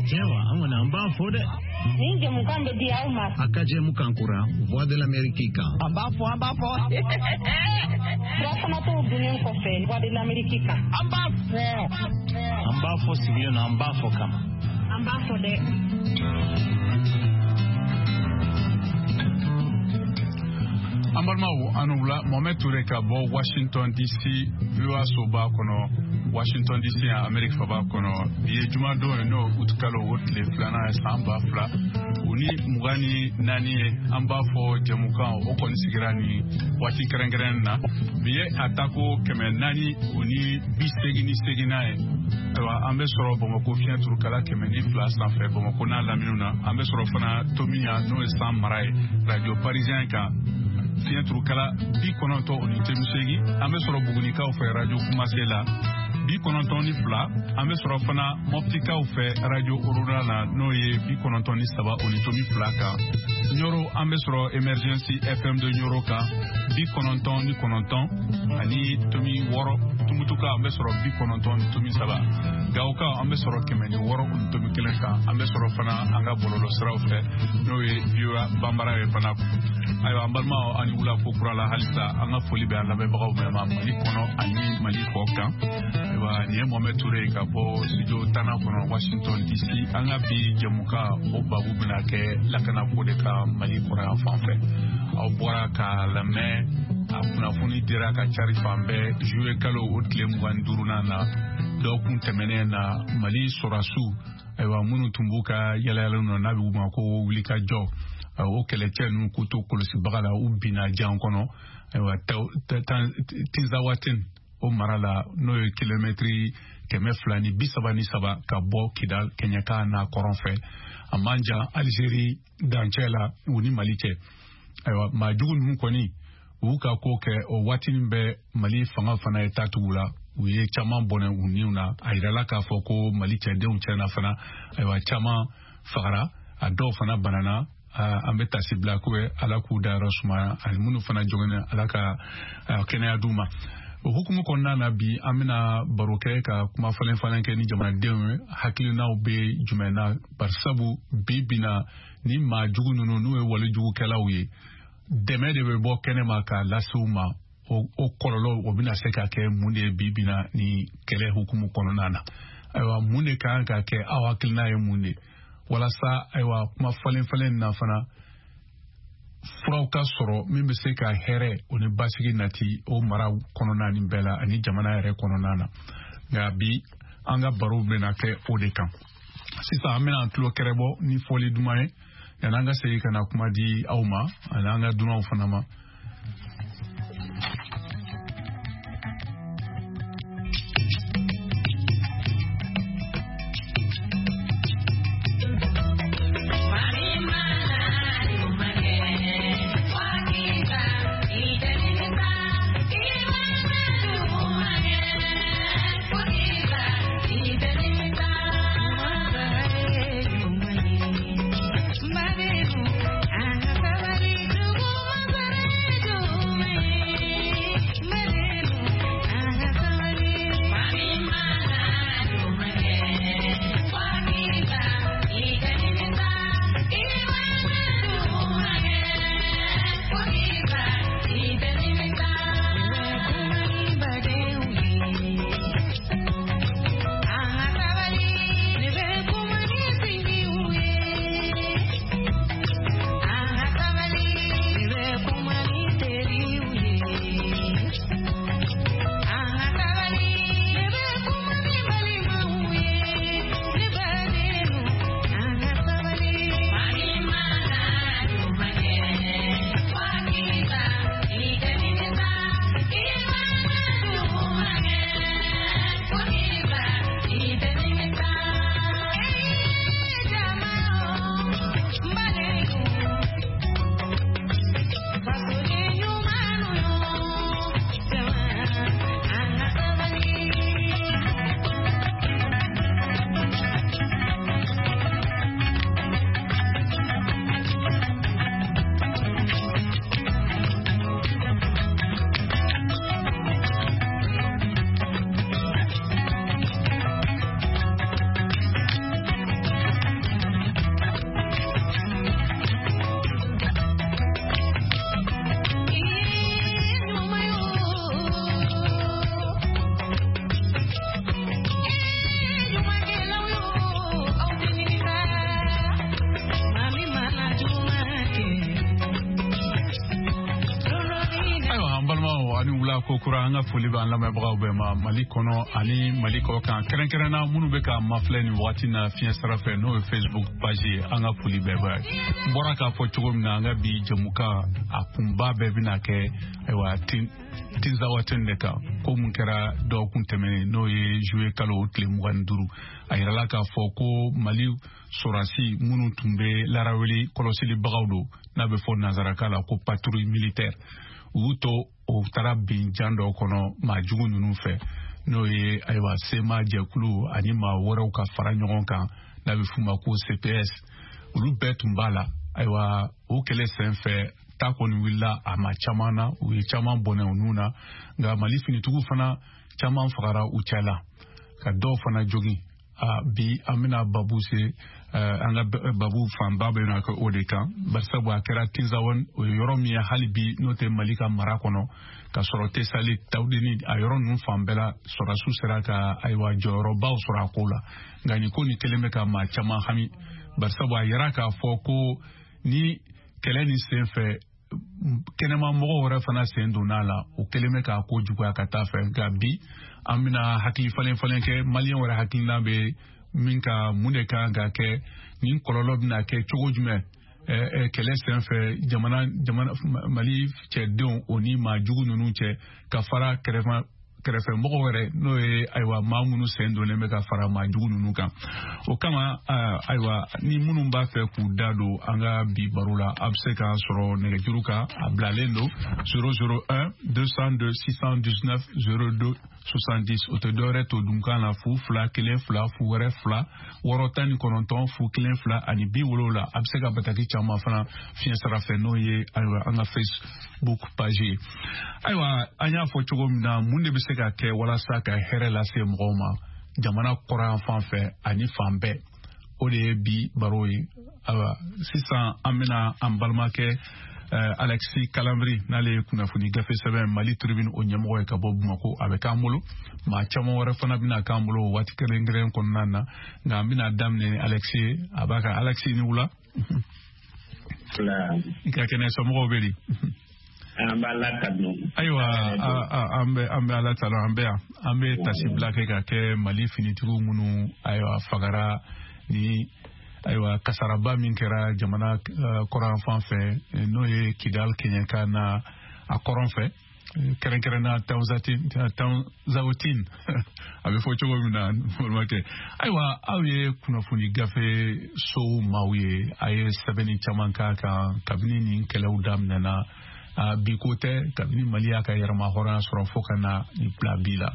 Yawa, an kɔni an b'a fɔ dɛ. Nin jɛmukan bɛ di aw ma. A ka jɛmukan kura Voix de l'Amérique kan. An b'a fɔ, an b'a fɔ. Furafanatɔw dunnen kɔfɛ Voix de l'Amérique kan. An b'a fɔ. An b'a fɔ sigilen don, an b'a fɔ kama. An b'a fɔ dɛ. An balimaw, an wula. Mohamed Toure ka bɔ Washington DC, VOA soba kɔnɔ, Washington DC yan, Amerique faba kɔnɔ. Bi ye jumadon ye, n'o utikalo o tile 2nan ye, san 2024 ye. An b'a fɔ jɛmukan o kɔni sigira nin waati kɛrɛnkɛrɛnnen na. Bi ye a tako 488nan ye. Ayiwa, an bɛ sɔrɔ Bamakɔ fiɲɛ turukala 102 sanfɛ, Bamakɔ n'a laminiw na. An bɛ sɔrɔ fana Tominian, n'o ye san mara ye, Radio Parisien kan, fiɲɛ turukala 90.8. An bɛ sɔrɔ Bugunikaw fɛ, Radio Kumase la, 92. An bɛ sɔrɔ fana Mɔptikaw fɛ, Radio Orona la, n'o ye 93.2 kan. Ɲoro, an bɛ sɔrɔ Emergency FM de Ɲoro kan, 99.6. Tumutuka, an bɛ sɔrɔ 90.3. Gawokaw, an bɛ sɔrɔ 106.1 kan. An bɛ sɔrɔ fana an ka bɔlɔlɔsiraw fɛ, n'o ye VOA Banbara ye fana. Ayiwa, an balimaw, an ni wula ko kura la halisa. An ka foli bɛ an lamɛnbagaw bɛɛ ma, Mali kɔnɔ ani Mali kɔ kan. Ayiwa, nin ye Mohamed Toure ye ka bɔ studio 10nan kɔnɔ, Washington DC. An ka bi jɛmukan o babu bɛna kɛ lakanako de ka Mali kɔrɔ yan fan fɛ. Aw bɔra k'a lamɛn, a kunnafoni dira ka cari fan bɛɛ. Juillet kalo o tile 25nan na, dɔgɔkun tɛmɛnen na, Mali sɔrɔdasiw, ayiwa, minnu tun b'u ka yalayalaw na, n'a bɛ u ma ko wulikajɔ, o kɛlɛcɛ ninnu k'u to kɔlɔsibaga la, u binna jan kɔnɔ, ayiwa, Tinzawaten o mara la, n'o ye kilomɛtiri 233 ka bɔ Kidal kɛɲɛka n'a kɔrɔn fɛ, a man jan Alizeri dancɛ la, u ni Mali cɛ. Ayiwa, maa jugu ninnu kɔni u y'u ka ko kɛ o waatinin bɛɛ. Mali fanga fana ye taa tugu la, u ye caman bɔnɛ u niw na. A yirala k'a fɔ ko Mali cɛdenw tiɲɛna fana. Ayiwa, caman fagara, a dɔw fana banana. An bɛ tasi bila ko Ala k'u dayɔrɔ sumaya, ani minnu fana joginnen, Ala ka kɛnɛya d'u ma. O hukumu kɔnɔna na, bi an bɛna baro kɛ ka kuma falen falen kɛ ni jamanadenw ye, hakilinaw bɛ jumɛn na, barisabu bi bina ni maa jugu ninnu, n'u ye walejugukɛlaw ye, dɛmɛ de bɛ bɔ kɛnɛma k'a lase u ma. O kɔlɔlɔ o bɛna se ka kɛ mun de ye bi bina ni kɛlɛ hukumu kɔnɔna na? Ayiwa, mun de kan ka kɛ? Aw hakilina ye mun de walasa, ayiwa, kuma falen falen na fana, furaw ka sɔrɔ min bɛ se ka hɛrɛ o ni basigi nati o mara kɔnɔna nin bɛɛ la ani jamana yɛrɛ kɔnɔna na? Nka bi an ka baro bɛna kɛ o de kan. Sisan an bɛna an tulo kɛrɛbɔ ni fɔli duman ye, yanni an ka segin ka na kuma di aw ma ani an ka dunanw fana ma. Kokura an ka foli b'an lamɛnbagaw bɛɛ ma Mali kɔnɔ ani Mali kɔ kan, kɛrɛnkɛrɛnna minnu bɛ k'an mafilɛ nin wagati na fiɲɛ sira fɛ, n'o ye Facebook page ye. An ka foli bɛɛ b'a ye. N bɔra k'a fɔ cogo min na, an ka bi jɛmukan a kunba bɛɛ bɛna kɛ ayiwa Tinzawaten de kan, ko mun kɛra dɔgɔkun tɛmɛnen, n'o ye juillet kalo tile 25. A yirala k'a fɔ ko Mali sɔrɔdasi minnu tun bɛ laraweli kɔlɔsilibagaw don, n'a bɛ fɔ nanzarakan la ko patrouille militaire, u y'u to o taara bin jan dɔ kɔnɔ maa jugu ninnu fɛ, n'o ye ayiwa CMA jɛkulu ani maa wɛrɛw ka fara ɲɔgɔn kan, n'a bɛ f'u ma ko CPS. Olu bɛɛ tun b'a la. Ayiwa, o kɛlɛ senfɛ, ta kɔni wulila a ma caman na, u ye caman bɔnɛ u nun na, nka Mali finitigiw fana caman fagara u cɛ la, ka dɔw fana jogin. Bi an bɛna babu se, an ka babu fanba bɛ na kɛ o de kan, barisabu a kɛra Tinzawan, o ye yɔrɔ min ye hali bi n'o tɛ Mali ka mara kɔnɔ, ka sɔrɔ Tesali, Tawudeni, a yɔrɔ ninnu fan bɛɛ la sɔrɔdasiw sera ka ayiwa jɔyɔrɔbaw sɔrɔ a ko la. Nka nin ko nin kelen bɛ ka maa caman hami, barisabu a yira k'a fɔ ko ni kɛlɛ nin sen fɛ, kɛnɛma mɔgɔw wɛrɛ fana sen donna a la, o kelen bɛ k'a ko juguya ka taa fɛ. Nka bi an bɛna hakili falen falen kɛ, maliyɛn wɛrɛ hakilina bɛ min ka, mun de kan ka kɛ, nin kɔlɔlɔ bɛna kɛ cogo jumɛn kɛlɛ sen fɛ jamana jamana Mali cɛdenw o ni maa jugu ninnu cɛ, ka fara kɛrɛfɛmɔgɔw yɛrɛ, n'o ye ayiwa maa minnu sen donnen bɛ ka fara maa jugu ninnu kan. O kama, ayiwa, ni minnu b'a fɛ k'u da don an ka bi baro la, a bɛ se k'an sɔrɔ nɛgɛjuru kan, a bilalen don 001 202 619 02 70. O tɛ dɔwɛrɛ to dunkan na, 0 2 1 2 0 wɛrɛ 2 6 19 0 1 2 ani 70. A bɛ se ka bataki caman fana fiɲɛ sira fɛ, n'o ye ayiwa an ka Facebook page ye. Ayiwa, an y'a fɔ cogo min na, mun de bɛ se ka kɛ walasa ka hɛrɛ lase mɔgɔw ma jamana kɔrɔyan fan fɛ ani fan bɛɛ, o de ye bi baro ye. Ayiwa, sisan an bɛna an balimakɛ Alexis Kalambry, n'ale ye kunnafoni gafe sɛbɛn Mali Tribune o ɲɛmɔgɔ ye ka bɔ Bamako, a bɛ k'an bolo. Maa caman wɛrɛ fana bɛna k'an bolo o waati kɛrɛnkɛrɛn kɔnɔna na, nka an bɛna daminɛ ni Alexis ye. A b'a ka Alexis, ni wula. I ka kɛnɛ, somɔgɔw bɛ di? An b'Ala tanu. Ayiwa, an bɛ Ala tanu. An bɛ yan, an bɛ tasibila kɛ ka kɛ Mali finitigiw minnu ayiwa fagara ni ayiwa kasaraba min kɛra jamana kɔrɔn fan fɛ, n'o ye Kidal kɛɲɛka na a kɔrɔn fɛ, kɛrɛnkɛrɛnna Tanzawatin, a bɛ fɔ cogo min na, balimakɛ. Ayiwa, aw ye kunnafoni gafe sow maaw ye, a ye sɛbɛnni caman k'a kan kabini nin kɛlɛw daminɛna. Bi ko tɛ, kabini Mali y'a ka yɛrɛma hɔrɔnya sɔrɔ fo ka na nin bila bi la,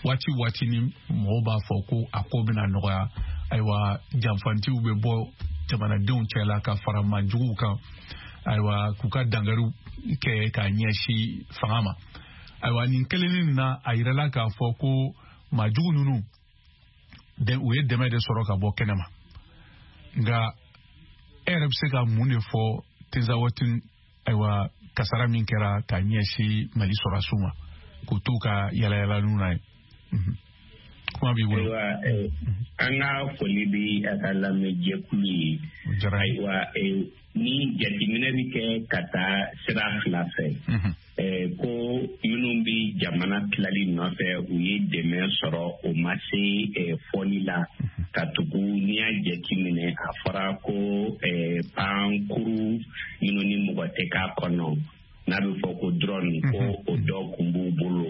waati waati ni mɔgɔw b'a fɔ ko a ko bɛna nɔgɔya, ayiwa janfantiw bɛ bɔ jamanadenw cɛ la ka fara maajuguw kan, ayiwa k'u ka dangariw kɛ k'a ɲɛsin fanga ma. Ayiwa, nin kelennin na, a yirala k'a fɔ ko maajugu ninnu u ye dɛmɛ de sɔrɔ ka bɔ kɛnɛma. Nka e yɛrɛ bɛ se ka mun de fɔ Tinzawatin, ayiwa kasara min kɛra ka ɲɛsin Mali sɔrɔdasiw ma k'u t'u ka yalayalaniw na ye? Kuma b'i bolo. Ayiwa, an ka foli bɛ a ka lamɛnjɛkulu ye. Ayiwa, ni jateminɛ bɛ kɛ ka taa sira fila fɛ, ko minnu bɛ jamana tilali nɔfɛ, u ye dɛmɛ sɔrɔ, o ma se fɔli la, ka tugu n'i y'a jateminɛ, a fɔra ko pankuru minnu ni mɔgɔ tɛ k'a kɔnɔ, n'a bɛ fɔ ko drone, ko o dɔ kun b'u bolo.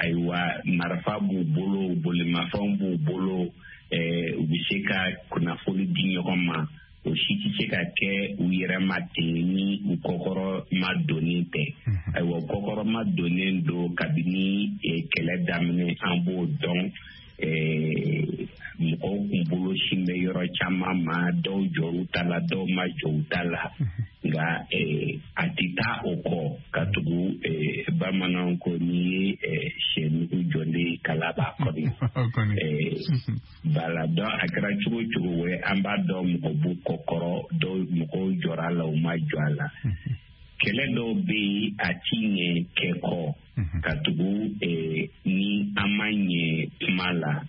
Ayiwa, marifa b'u bolo, bolimafɛnw b'u bolo, u bɛ se ka kunnafoni di ɲɔgɔn ma. O si tɛ se ka kɛ u yɛrɛ ma ten ni u kɔkɔrɔ ma donnen tɛ. Ayiwa, kɔkɔrɔ ma donnen don kabini kɛlɛ daminɛ, an b'o dɔn. Mɔgɔw kun bolo sin bɛ yɔrɔ caman ma, dɔw jɔr'u ta la, dɔw ma jɔ u ta la, nka a tɛ taa o kɔ, ka tugu bamananw ko n'i ye sɛnugu jɔlen, kala b'a kɔnɔ bala dɔn. A kɛra cogo cogo, o an b'a dɔn mɔgɔ b'u kɔkɔrɔ, dɔw mɔgɔw jɔra a la, u ma jɔ a la. Kɛlɛ dɔw bɛ yen, a ti ɲɛ kɛ kɔ, ka tugu ni an ma ɲɛ kuma la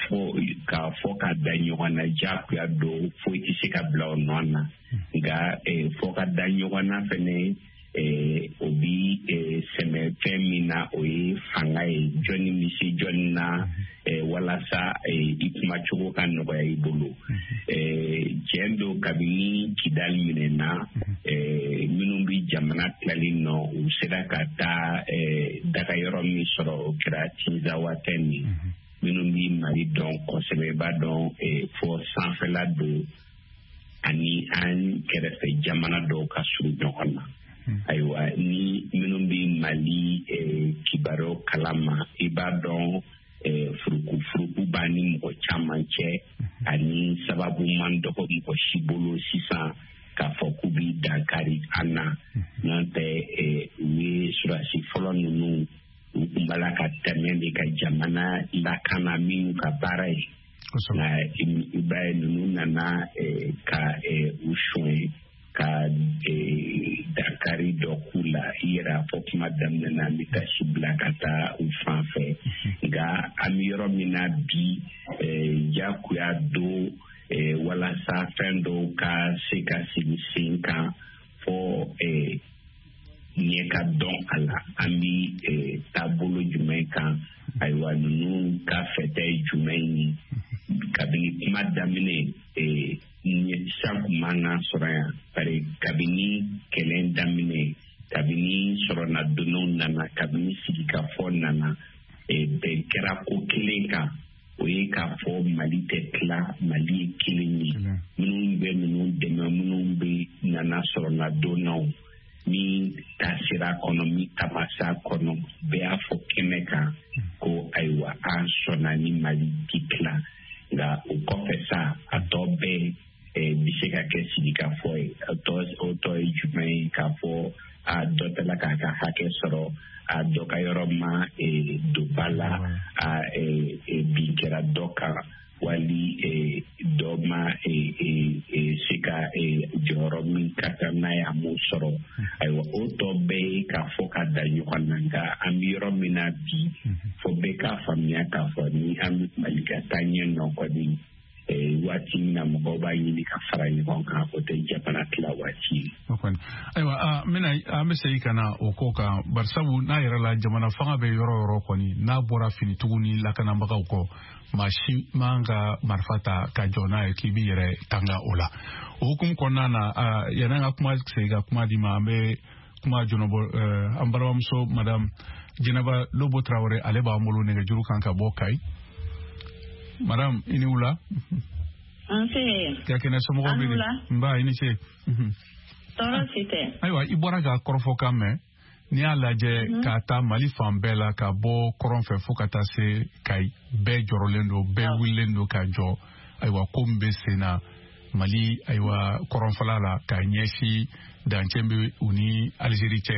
fo k'a fɔ ka da ɲɔgɔn na, diyagoya don, foyi tɛ se ka bila o nɔ na. Nka fɔ ka da ɲɔgɔn na fɛnɛ. O bi sɛmɛ fɛn min na, o ye fanga ye, jɔnni bɛ se jɔnni na walasa i kumacogo ka nɔgɔya i bolo. Tiɲɛ don, kabini Kidali minɛna, minnu bɛ jamana tilali nɔ, u sera ka taa dagayɔrɔ min sɔrɔ, o kɛra Tinzawatɛn ye. Minnu bɛ Mali dɔn kosɛbɛ, i b'a dɔn fɔ sanfɛla don ani an kɛrɛfɛ jamana dɔw ka surun ɲɔgɔn na. Ayiwa, ni minnu bɛ Mali kibaruyaw kalama, i b'a dɔn furukufuruku b'a ni mɔgɔ caman cɛ, ani sababu man dɔgɔ mɔgɔ si bolo sisan k'a fɔ k'u b'i dankari an na. N'o tɛ, u ye surasi fɔlɔ ninnu, u tun b'a la ka tɛmɛ de ka jamana lakana minnu ka baara ye. Nka i b'a ye, ninnu nana ka u suɲɛ ka dankari dɔ k'u la. I yɛrɛ y'a fɔ kuma daminɛ na, an bɛ taa si bila ka taa u fan fɛ. Nka an bɛ yɔrɔ min na bi, jagoya don walasa fɛn dɔw ka se ka sigi sen kan fɔ ɲɛ ka dɔn a la, an bɛ taabolo jumɛn kan, ayiwa, ninnu ka fɛtɛ ye jumɛn ye. Kabini kuma daminɛ, sisan kun man kan sɔrɔ yan, bari kabini kɛlɛ daminɛ, kabini sɔrɔnadonnaw nana, kabini sigikafɔ nana, bɛn kɛra ko kelen kan, o ye k'a fɔ Mali tɛ tila, Mali ye kelen ye. Minnu bɛ ninnu dɛmɛ, minnu bɛ nana sɔrɔnadonnaw, min ta sera kɔnɔ, min tamasa kɔnɔ, bɛɛ y'a fɔ kɛnɛ kan ko ayiwa, an sɔnna ni Mali ti tila. Nka o kɔfɛ sa, a tɔ bɛɛ bɛ se ka kɛ sigikafɔ ye. O tɔ ye jumɛn ye? K'a fɔ a dɔ tɛla k'a ka hakɛ sɔrɔ, a dɔ ka yɔrɔ ma don ba la, a bin kɛra dɔ kan, wali dɔ ma se ka jɔyɔrɔ min ka kan n'a ye, a m'o sɔrɔ. Ayiwa, o tɔ bɛɛ ye k'a fɔ ka da ɲɔgɔn na. Nka an bɛ yɔrɔ min na bi, fo bɛɛ k'a faamuya k'a fɔ ni an bɛ Mali ka taa ɲɛ nɔ kɔni, waati min na mɔgɔw b'a ɲini ka fara ɲɔgɔn kan, o tɛ jamana tila waati ye. Ayiwa, n bɛna an bɛ segin ka na o ko kan, barisabu n'a yɛrɛ la, jamana fanga bɛ yɔrɔ o yɔrɔ kɔni, n'a bɔra finitigiw ni lakanabagaw kɔ, maa si man ka marifa ta ka jɔ n'a ye k'i b'i yɛrɛ tanga o la. O hukumu kɔnɔna na, yanni an ka kuma segin ka kuma di ma, an bɛ kuma jɔnɔbɔ an balimamuso Madame Jɛnɛba Lobo Tarawele, ale b'an bolo nɛgɛjuru kan ka bɔ Kayi. Madame, i ni wula. Nse. Ka kɛnɛ, somɔgɔw bɛ di? Nba, i ni ce. Tɔɔrɔ si tɛ. Ayiwa, i bɔra ka kɔrɔfɔkan mɛn. N'i y'a lajɛ k'a ta Mali fan bɛɛ la, ka bɔ kɔrɔn fɛ fo ka taa se Kayi, bɛɛ jɔrɔlen don, bɛɛ wulilen don ka jɔ. Ayiwa, ko min bɛ sen na Mali, ayiwa, kɔrɔnfɛla la ka ɲɛsin dancɛ bɛ u ni Alizeri cɛ,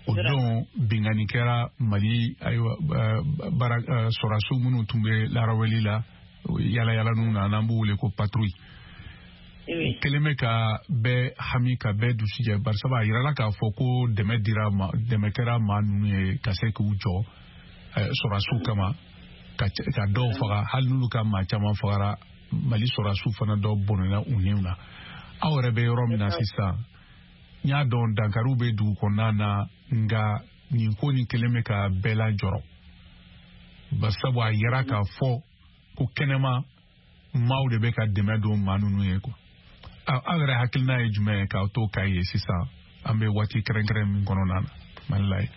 o don binkanni kɛra Mali, ayiwa, baara sɔrɔdasiw minnu tun bɛ laraweli la, yala yala ninnu na, n'an b'u wele ko patrouille, o kɛlen bɛ ka bɛɛ hami, ka bɛɛ dusu jɛ, barisabu a yirala k'a fɔ ko dɛmɛ dira ma, dɛmɛ kɛra maa ninnu ye ka se k'u jɔ sɔrɔdasiw kama ka dɔw faga. Hali n'olu ka maa caman fagara, Mali sɔrɔdasiw fana dɔw bɔnɛna u niw na. Aw yɛrɛ bɛ yɔrɔ min na sisan, n y'a dɔn dankariw bɛ dugu kɔnɔna na, nka nin ko nin kɛlen bɛ ka bɛɛ lajɔrɔ, barisabu a yira k'a fɔ ko kɛnɛma maaw de bɛ ka dɛmɛ don maa ninnu ye quoi. Aw yɛrɛ hakilina ye jumɛn ye k'aw to Kayi ye sisan, an bɛ waati kɛrɛnkɛrɛn min kɔnɔna na Mali la ye?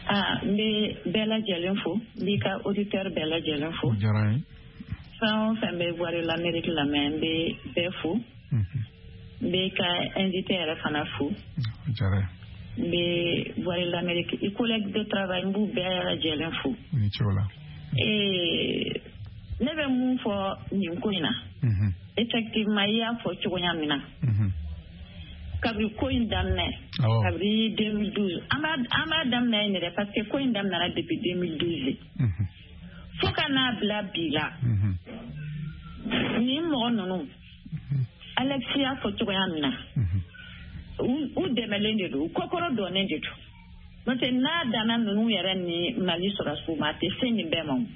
Aa, n bɛ bɛɛ lajɛlen fo, n b'i ka auditeur bɛɛ lajɛlen fo. O diyara n ye. Fɛn o fɛn bɛ Voix de l'Amérique lamɛn, n bɛ bɛɛ fo. N bɛ ka invité yɛrɛ fana fo. O diyara n ye. N bɛ Voix de l'Amérique i collègue de travail, n b'u bɛɛ lajɛlen fo. I ni ce o la. Ne bɛ mun fɔ nin ko in na? Effectivement, i y'a fɔ cogoya min na, kabiri ko in daminɛ, kabiri 2012, an b'a daminɛ yen dɛ, parce que ko in daminɛra depuis 2012 fo ka n'a bila bi la. Nin mɔgɔ ninnu, Alexis y'a fɔ cogoya min na, u dɛmɛlen de don, u kɔkɔrɔ dɔnnen de don. N'o tɛ, n'a danna ninnu yɛrɛ ni Mali sɔrɔdasiw ma, a tɛ se nin bɛɛ ma o.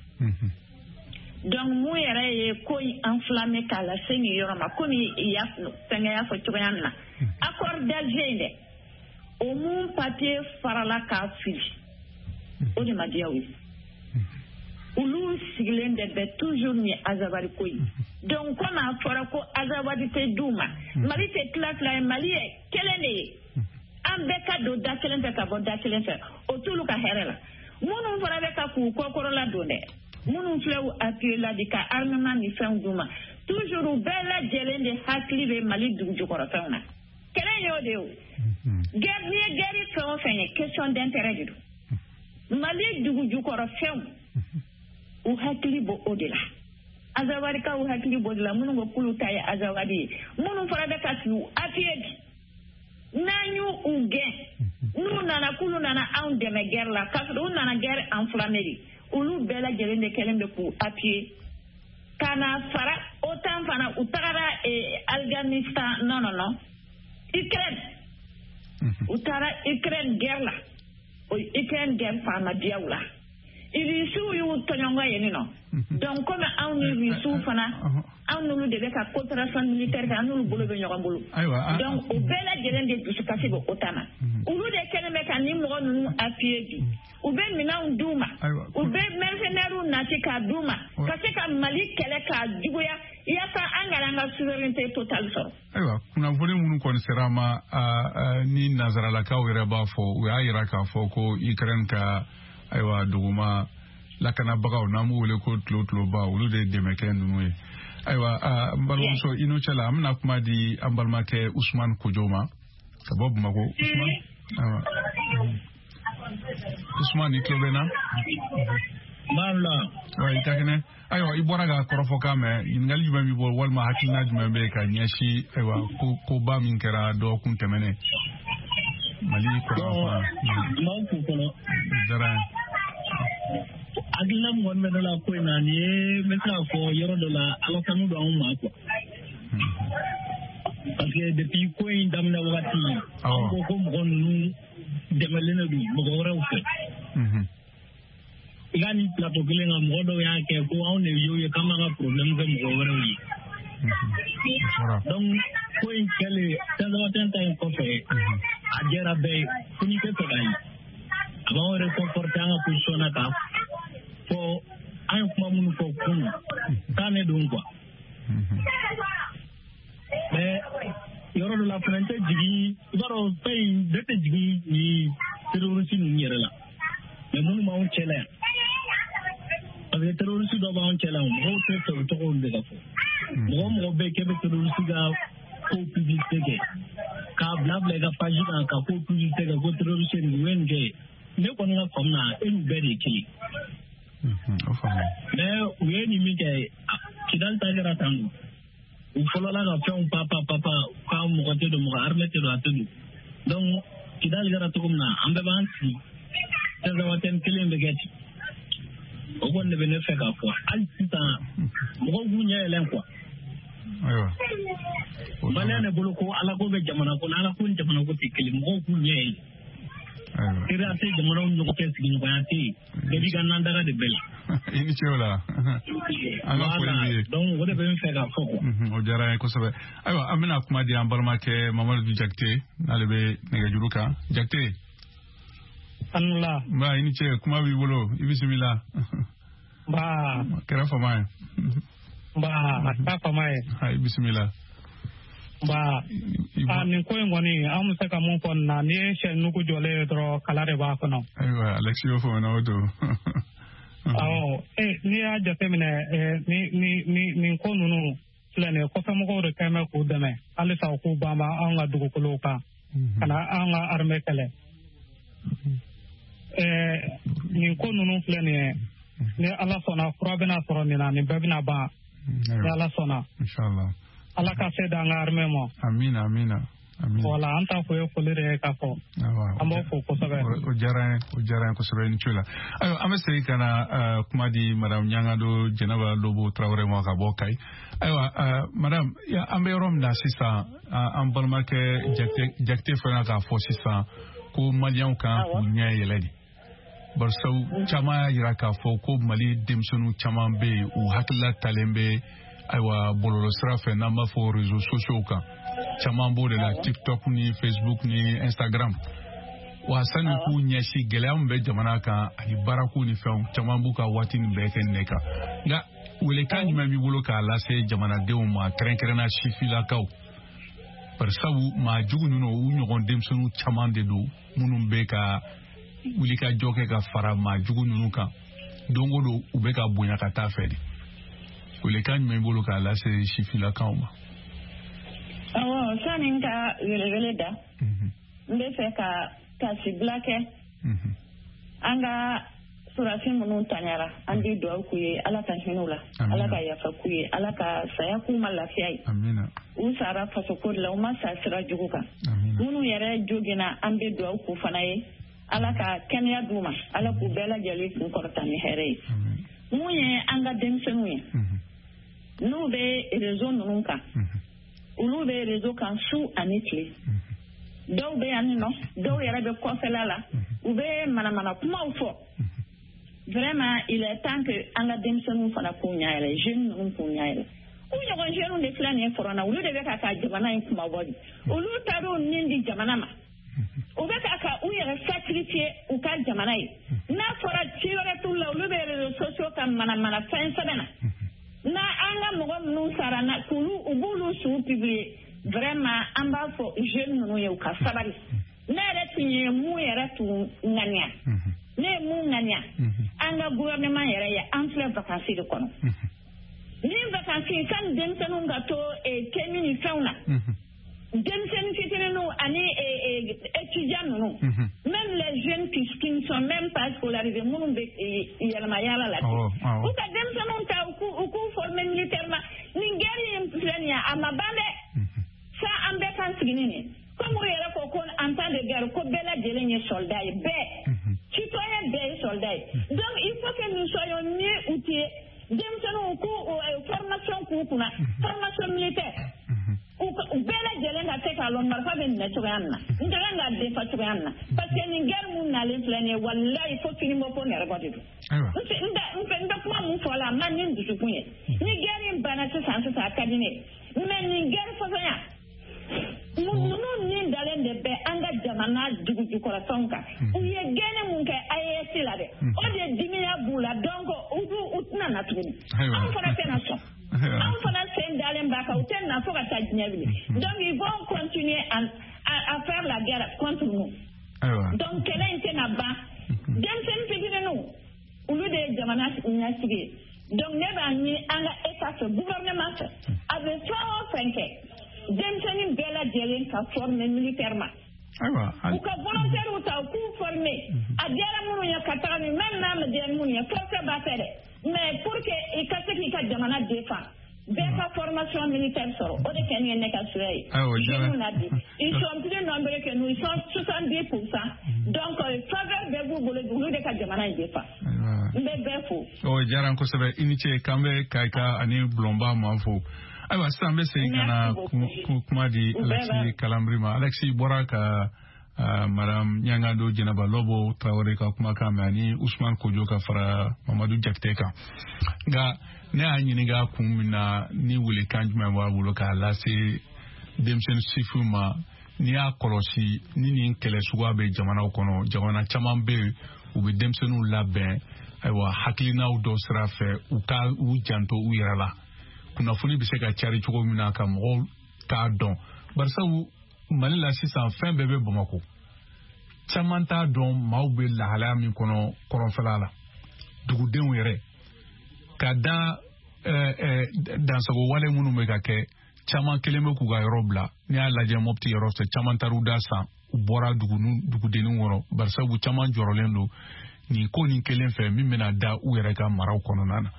Donc mun yɛrɛ ye ko in enflammé k'a lase nin yɔrɔ ma, komi i y'a fɛnkɛ y'a fɔ cogoya min na, accord d'Alger in dɛ. O mun papier farala k'a fili, o de ma diya u ye. Olu sigilen de bɛ toujours ni Azawadi ko ye. Donc komi a fɔra ko Azawadi tɛ d'u ma, Mali tɛ tila fila ye, Mali ye kelen de ye. An bɛɛ ka don da kelen fɛ ka bɔ da kelen fɛ, o t'olu ka hɛrɛ la. Minnu fana bɛ ka k'u kɔkɔrɔla don dɛ, minnu filɛ u appuyer la bi ka armement ni fɛnw d'u ma, toujours u bɛɛ lajɛlen de hakili bɛ Mali dugu jukɔrɔfɛnw na. Kɛlɛ in y'o de ye o. Guerre, n'i ye guerre fɛn o fɛn ye, question d'intérêt de don. Mali dugu jukɔrɔfɛnw, u hakili b'o o de la. Azawadikaw hakili b'o de la, minnu ko k'olu ta ye Azawadi ye, minnu fana bɛ ka k'u appuyer bi. N'an y'u u gɛn, n'u nana k'olu nana anw dɛmɛ guerre la, k'a sɔrɔ u nana guerre enflammée de, olu bɛɛ lajɛlen de kɛlen bɛ k'u appuyer. Ka na fara OTAN fana, u tagara Afghanistan, non non non, Ukraine. U taara Ukraine guerre la, o Ukraine guerre fana ma diya u la. Irisiw y'u tɔɲɔgɔn yen nɔ. Donc komi anw ni Irisiw fana, anw n'olu de bɛ ka coopération militaire kɛ, an n'olu bolo bɛ ɲɔgɔn bolo. Donc o bɛɛ lajɛlen de dusukasi bɛ OTAN na. Olu de kɛlen bɛ ka nin mɔgɔ ninnu appuyer bi. U bɛ minɛnw d'u ma, u bɛ mercenaires nati k'a d'u ma, ka se ka Mali kɛlɛ k'a juguya, yaasa an kana an ka souveraineté totale sɔrɔ. Ayiwa, kunnafoni minnu kɔni sera an ma, ni nanzaralakaw yɛrɛ b'a fɔ, u y'a yira k'a fɔ ko Ukraine ka ayiwa duguma lakanabagaw, n'an b'u wele ko tulo-tuloba, olu de ye dɛmɛ kɛ ninnu ye. Ayiwa, n balimamuso, i n'o cɛ la, an bɛna kuma di an balimakɛ Usumani Kojo ma ka bɔ Bamakɔ. Usumani, ayiwa, Usumani, i tulo bɛ n na? N b'a la. Wa i ka kɛnɛ. Ayiwa, i bɔra ka kɔrɔfɔkan mɛn, ɲininkali jumɛn b'i bolo walima hakilina jumɛn bɛ yen ka ɲɛsin ayiwa koba min kɛra dɔgɔkun tɛmɛnen Mali kɔrɔn fan? N b'aw fo fɔlɔ. Diyara n ye. Hakilina min kɔni bɛ ne la ko in na, nin ye n bɛ se k'a fɔ yɔrɔ dɔ la, Ala tanu don anw ma quoi. Parce que depuis ko in daminɛ wagati, an ko ko mɔgɔ ninnu dɛmɛlen de don mɔgɔ wɛrɛw fɛ. I ka nin plateau kelen kan, mɔgɔ dɔw y'a kɛ ko anw de y'o ye k'an b'an ka problème kɛ mɔgɔ wɛrɛw ye. Donc ko in kɛlen Tinzawatɛn ta in kɔfɛ, a jɛra bɛɛ ye, fo n'i tɛ fɛ k'a ye. A b'anw réconforter an ka position na k'a fɔ an ye kuma minnu fɔ kunun, k'an ne don quoi. Mais yɔrɔ dɔ la fana, n tɛ jigin, i b'a dɔn fɛn in, ne tɛ jigin nin terroriste ninnu yɛrɛ la. Mais minnu b'anw cɛ la yan, parce que terroriste dɔ b'anw cɛ la yan, mɔgɔw tɛ fɛ u tɔgɔw de ka fɔ. Mɔgɔ o mɔgɔ bɛ yen k'e bɛ terroriste ka ko publicité kɛ, k'a bila bila i ka page kan ka ko publicité kɛ ko terroriste nin, u ye nin kɛ, ne kɔni ka faamu na, e n'u bɛɛ de ye kelen. Mais u ye nin min kɛ, Kidali ta kɛra tan don. U fɔlɔla ka fɛnw pa pa pa pa, k'a mɔgɔ tɛ don, mɔgɔ armée tɛ don, a tɛ don. Donc Kidali kɛra cogo min na, an bɛɛ b'an sigi Tinzawatɛn kelen bɛ kɛ ten. O kɔni de bɛ ne fɛ k'a fɔ hali sisan, mɔgɔw k'u ɲɛ yɛlɛn quoi. Maliyɛn de bolo ko Ala ko bɛ jamana ko, Ala ko ni jamana ko tɛ kelen, mɔgɔw k'u ɲɛ yɛlɛ. Teriya tɛ jamanaw ni ɲɔgɔn cɛ, sigiɲɔgɔnya tɛ yen, bɛɛ b'i ka nandaga de bɛɛ la. I ni ce o la. An ka foli b'i ye. Donc o de bɛ n fɛ k'a fɔ quoi. O diyara n ye kosɛbɛ. Ayiwa, an bɛna kuma di an balimakɛ Mamadu Jakite, n'ale bɛ nɛgɛjuru kan. Jakite. Anula. Nba, i ni ce, kuma b'i bolo, i bisimila. Nba. Kɛra fama ye. Nba, a kɛra fama ye. I bisimila. Nba, a nin ko in kɔni, an bɛ se ka mun fɔ nin na, n'i ye sɛ nugu jɔlen ye dɔrɔn, kala de b'a kɔnɔ. Ayiwa, Alexis y'o fɔ o don. Awɔ, n'i y'a jateminɛ, nin ko ninnu filɛ nin ye, kɔfɛmɔgɔw de kɛn bɛ k'u dɛmɛ halisa u k'u banban anw ka dugukolow kan, ka na an ka armée kɛlɛ. Nin ko ninnu filɛ nin ye, ni Ala sɔnna, fura bɛna sɔrɔ nin na, nin bɛɛ bɛna ban. Ni Ala sɔnna. Inshallah. Ala ka se d'an ka armée ma. Amina, amina. Amina. Voilà, an ta fo ye foli de ye k'a fɔ. An b'aw fo kosɛbɛ. O diyara n ye, o diyara n ye kosɛbɛ, i ni ce la. Ayiwa, an bɛ segin ka na kuma di madame Ɲangado Jɛnɛba Lobo Tarawele ma ka bɔ Kayi. Ayiwa, madame, an bɛ yɔrɔ min na sisan, an balimakɛ Jakite fana k'a fɔ sisan ko maliyɛnw kan k'u ɲɛ yɛlɛ de. Barisabu caman y'a jira k'a fɔ ko Mali denmisɛnninw caman bɛ yen, u hakilila talen bɛ ayiwa bɔlɔlɔsira fɛ, n'an b'a fɔ réseaux sociaux kan, caman b'o de la, TikTok ni Facebook ni Instagram. Wa sani k'u ɲɛsin gɛlɛya min bɛ jamana kan ani baarako ni fɛnw caman b'u ka waati nin bɛɛ kɛ nin kan. Nka welekan jumɛn b'i bolo k'a lase jamanadenw ma, kɛrɛnkɛrɛnna sifilakaw? Barisabu maa jugu ninnu, u ɲɔgɔn denmisɛnninw caman de don minnu bɛ ka wulikajɔ kɛ ka fara maa jugu ninnu kan. Don o don u bɛ ka bonya ka taa fɛ de. Welekan jumɛn b'i bolo k'a lase sifilakaw ma? Awɔ, sani n ka welewele da, n bɛ fɛ ka tasibila kɛ an ka sɔrɔdasi minnu tanyara. An bɛ dugawu k'u ye, Ala ka hinɛ u la, Ala ka yafa k'u ye, Ala ka saya k'u ma lafiya ye. U sara fasoko de la, u ma sa sira jugu kan. Minnu yɛrɛ joginna, an bɛ dugawu k'u fana ye, Ala ka kɛnɛya d'u ma, Ala k'u bɛɛ lajɛlen kun kɔrɔta ni hɛrɛ ye. Mun ye an ka denmisɛnninw ye, n'u bɛ réseau ninnu kan, olu bɛ réseau kan su ani tile, dɔw bɛ yan nɔ, dɔw yɛrɛ bɛ kɔfɛla la, u bɛ manamana kumaw fɔ. Vraiment, il est temps que an ka denmisɛnninw fana k'u ɲɛ yɛlɛ, jeunes ninnu k'u ɲɛ yɛlɛ. U ɲɔgɔn jeunes de filɛ nin ye front na, olu de bɛ ka jamana in kumabɔ bi. Olu taar'u nin di jamana ma, u bɛ ka u yɛrɛ sacrifier u ka jamana ye. N'a fɔra ci wɛrɛ t'u la, olu bɛ réseaux sociaux kan manamana fɛn sɛbɛn na. N'a an ka mɔgɔ minnu sara na, k'olu u b'olu su publier. Vraiment, an b'a fɔ jeunes ninnu ye, u ka sabali. Ne yɛrɛ tun ye mun yɛrɛ tun ŋaniya, ne ye mun ŋaniya an ka gouvernement yɛrɛ ye, an filɛ vacances de kɔnɔ. Ni vacances, sani denmisɛnninw ka to kɛmi ni fɛnw na, denmisɛnnin fitininw ani étudiants ninnu, même les jeunes qui ne sont même pas scolarisés, minnu bɛ yɛlɛma yaala la, u ka denmisɛnninw ta, u k'u former militairement. Nin guerre in filɛ nin ye, a ma ban dɛ. Sa an bɛɛ kan sigi ni nin, comme u yɛrɛ ko en temps de guerre ko bɛɛ lajɛlen ye soldat ye, bɛɛ citoyen bɛɛ ye soldat ye. Donc il faut que nous soyons mieux outillés. Denmisɛnninw k'u formation k'u kunna, formation militaire, u bɛɛ lajɛlen ka se k'a lɔn marifa bɛ minɛ cogoya min na, n ka kan k'a defa cogoya min na, parce que nin guerre mun nalen filɛ nin ye, walayi, fo kinibɔ fo nɛrɛbɔ de don. N bɛ kuma mun fɔ la, a ma ni n dusukun ye. Ni guerre in banna sisan sisan, a ka di ne ye, mais nin guerre fasɔnya ninnu ni dalen de bɛ an ka jamana dugu jukɔrɔfɛnw kan. U ye gɛnni mun kɛ AES la dɛ, o de dimiya b'u la. Donc u tɛna na tuguni. Anw fana tɛna sɔn, anw fana sen dalen b'a kan, u tɛ na fo ka taa diɲɛ wuli. Donc ils vont continuer à faire la guerre contre nous. Donc kɛlɛ in tɛna ban. Denmisɛnnin fitininw, olu de ye jamana ɲɛsigi ye. Donc ne b'a ɲini an ka état fɛ, gouvernement fɛ, a bɛ fɛn o fɛn kɛ, denmisɛnnin bɛɛ lajɛlen ka former militairement. U ka volontaires ta, u k'u former. A diyara minnu ye ka taga, ni même n'a ma diya minnu ye, forfait b'a fɛ dɛ, mais pour que i ka se k'i ka jamana défend, bɛɛ ka formation militaire sɔrɔ. O de kɛ nin ye ne ka souhait ye. Jeunes na bi, ils sont plus nombreux que nous, ils sont 70%. Donc faveur bɛɛ b'u bolo, olu de ka jamana in défend. N bɛ bɛɛ fo. O diyara n kosɛbɛ, i ni ce. K'an bɛ Kayika ani Bulɔnba ma fo. Ayiwa, sisan an bɛ segin ka na kuma di Alexis Kalambry ma. Alexis bɔra ka madame Ɲangado Jɛnɛba Lɔbɔ Tarawele ka kumakan mɛn ani Usman Kojo ka fara Mamadu Jakite kan. Nka ne y'a ɲininka kun min na, ni welekan jumɛn b'a bolo k'a lase denmisɛnnin sifinw ma? N'i y'a kɔlɔsi, ni nin kɛlɛ suguya bɛ jamanaw kɔnɔ, jamana caman bɛ yen, u bɛ denmisɛnninw labɛn, ayiwa, hakilinaw dɔ sira fɛ, u ka u janto u yɛrɛ la, kunnafoni bɛ se ka cari cogo min na ka mɔgɔw t'a dɔn. Barisabu Mali la sisan, fɛn bɛɛ bɛ Bamakɔ, caman t'a dɔn maaw bɛ lahalaya min kɔnɔ kɔrɔnfɛla la, dugudenw yɛrɛ ka da dansago wale minnu bɛ ka kɛ. Caman kelen bɛ k'u ka yɔrɔ bila. N'i y'a lajɛ Mɔpiti yɔrɔ fɛ, caman taar'u da san, u bɔra dugudenninw kɔnɔ, barisabu caman jɔrɔlen don nin ko nin kelen fɛ min bɛna da u yɛrɛ ka maraw kɔnɔna na.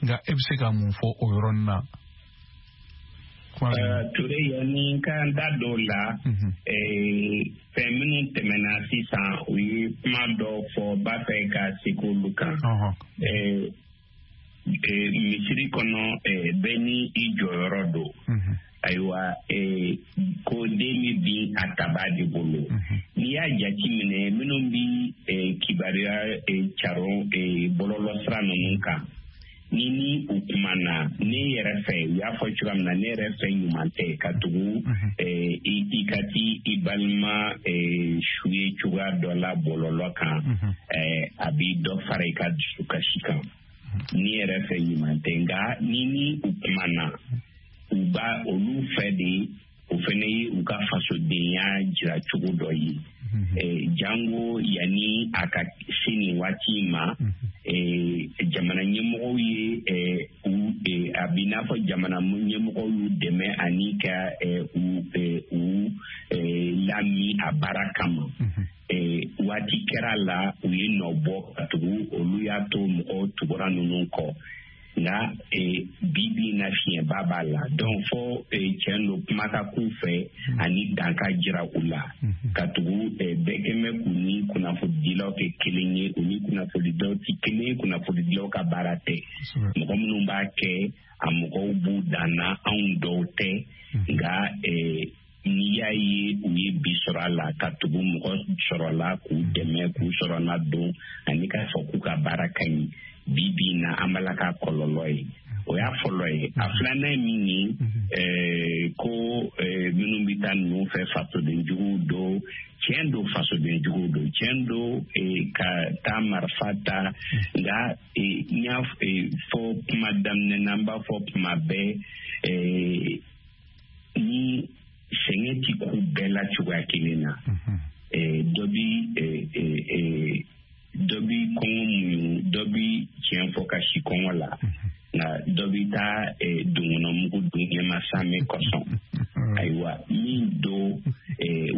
Nka e bɛ se ka mun fɔ o yɔrɔnin na? Ture, yanni n ka n da dɔw la, fɛn minnu tɛmɛna sisan, u ye kuma dɔ fɔ, b'a fɛ ka segin olu kan. Misiri kɔnɔ, bɛɛ ni i jɔyɔrɔ don. Ayiwa, ko den bɛ bin a taba de bolo. N'i y'a jate minɛ, minnu bi kibaruya caron bɔlɔlɔ sira ninnu kan. Ni u kumana, ne yɛrɛ fɛ, u y'a fɔ cogoya min na, ne yɛrɛ fɛ ɲuman tɛ ka tugu i ka ti i balima su ye cogoya dɔ la bɔlɔlɔ kan, a b'i dɔ fara i ka dusukasi kan. Ne yɛrɛ fɛ ɲuman tɛ, nka ni u kumana, u b'a olu fɛ de, o fɛnɛ ye u ka fasodenya jira cogo dɔ ye. Jango yanni a ka se nin waati ma, jamana ɲɛmɔgɔw ye a b'i n'a fɔ jamana ɲɛmɔgɔw y'u dɛmɛ ani ka u lami a baara kama. Waati kɛra la, u ye nɔ bɔ ka tugu, olu y'a to mɔgɔw tugura ninnu kɔ. Nka bi bi in na fiɲɛba b'a la, donc fo tiɲɛ don kuma ka k'u fɛ ani dan ka jira u la, ka tugu bɛɛ kɛmɛ k'u ni kunnafonidilaw kɛ kelen ye. U ni kunnafonidilaw tɛ kelen ye, kunnafonidilaw ka baara tɛ. Mɔgɔ minnu b'a kɛ, a mɔgɔw b'u dan na, anw dɔw tɛ. Nka n'i y'a ye u ye bi sɔrɔ a la, ka tugu mɔgɔ sɔrɔ la k'u dɛmɛ, k'u sɔrɔ na don ani k'a fɔ k'u ka baara ka ɲi, bi bi in na an b'a la ka kɔlɔlɔ ye. O y'a fɔlɔ ye. A filanan ye min ye, ko minnu bɛ taa ninnu fɛ fasodenjuguw don. Tiɲɛ don, fasodenjuguw don, tiɲɛ don ka taa marifa ta. Nka n y'a fɔ kuma daminɛ na, n b'a fɔ kuma bɛɛ, ni sɛgɛn ti k'u bɛɛ la cogoya kelen na. Dɔ bi kɔngɔ muɲu, dɔ bi tiɲɛ fɔ ka si kɔngɔ la, nka dɔ bi taa donkɔnɔmugu dun ɲɛma sanmɛ kosɔn. Ayiwa, min don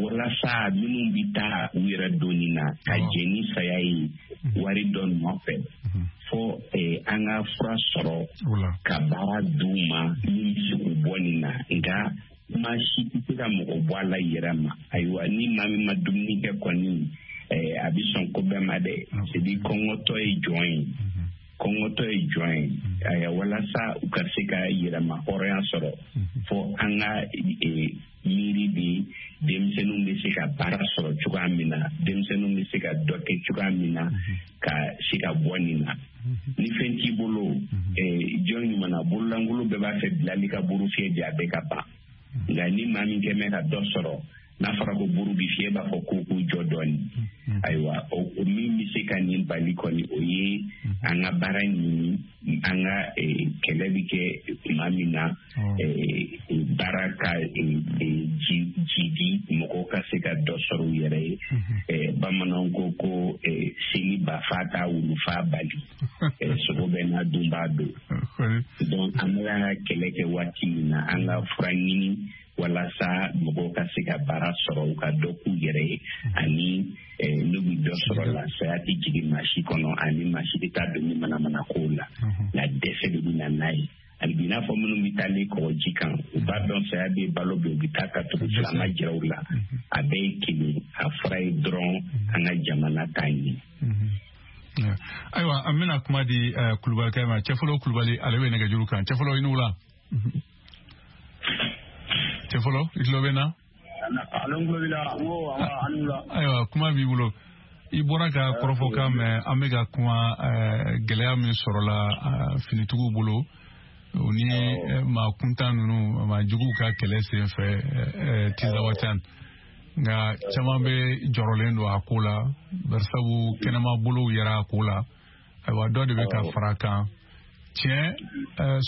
walasa minnu bi taa u yɛrɛ donni na ka jɛ ni saya ye wari dɔ nɔfɛ, fo an ka fura sɔrɔ ka baara d'u ma min bɛ se k'u bɔ nin na. Nka maa si tɛ se ka mɔgɔ bɔ a la yɛrɛ ma. Ayiwa, ni maa min ma dumuni kɛ kɔni, a bɛ sɔn ko bɛɛ ma dɛ. C'est-à-dire kɔngɔtɔ ye jɔn ye, kɔngɔtɔ ye jɔn ye. Ayiwa, walasa u ka se ka yɛrɛma hɔrɔnya sɔrɔ, fo an ka miiri de denmisɛnninw bɛ se ka baara sɔrɔ cogoya min na, denmisɛnninw bɛ se ka dɔ kɛ cogoya min na, ka se ka bɔ nin na. Ni fɛn t'i bolo, jɔn ɲuman na, bololankolon bɛɛ b'a fɛ bilali ka buru fiyɛ bi, a bɛɛ ka ban. Nka ni maa min kɛmɛ ka dɔ sɔrɔ, n'a fɔra ko buru bi fiyɛ, b'a fɔ ko k'u jɔ dɔɔni. Ayiwa, o min bɛ se ka nin bali kɔni, o ye an ka baara ɲini, an ka kɛlɛ bɛ kɛ tuma min na, baara ka jidi, mɔgɔw ka se ka dɔ sɔrɔ u yɛrɛ ye. Bamananw ko seli bafa t'a wulufa bali, sogo bɛ n'a dunbaa don. Donc an bɛ ka kɛlɛ kɛ waati min na, an ka fura ɲini walasa mɔgɔw ka se ka baara sɔrɔ, u ka dɔ k'u yɛrɛ ye, ani n'u bɛ dɔ sɔrɔ la, saya tɛ jigin maa si kɔnɔ, ani maa si tɛ taa don ni manamana kow la. Nka dɛsɛ de bɛ na n'a ye. Ani bi n'a fɔ minnu bɛ taa ni kɔgɔji kan, u b'a dɔn saya bɛ balo bɛ, u bɛ taa ka tugu silama jira u la. A bɛɛ ye kelen, a fura ye dɔrɔn an ka jamana t'a ɲɛ. Ayiwa, an bɛna kuma di Kulubalikɛ ma. Cɛfɔlɔ Kulubali, ale bɛ nɛgɛjuru kan. Cɛfɔlɔ, i ni wula. Cɛfɔlɔ, i tulo bɛ n na? Ayiwa, kuma b'i bolo. I bɔra ka kɔrɔfɔkan mɛn, an bɛ ka kuma gɛlɛya min sɔrɔla finitigiw bolo, o ni maa kuntan ninnu, maa juguw ka kɛlɛ sen fɛ Tinzawatɛn. Nka caman bɛ jɔrɔlen don a ko la, barisabu kɛnɛma bolow yɛrɛ a ko la. Ayiwa, dɔ de bɛ ka fara a kan. Tiɲɛ,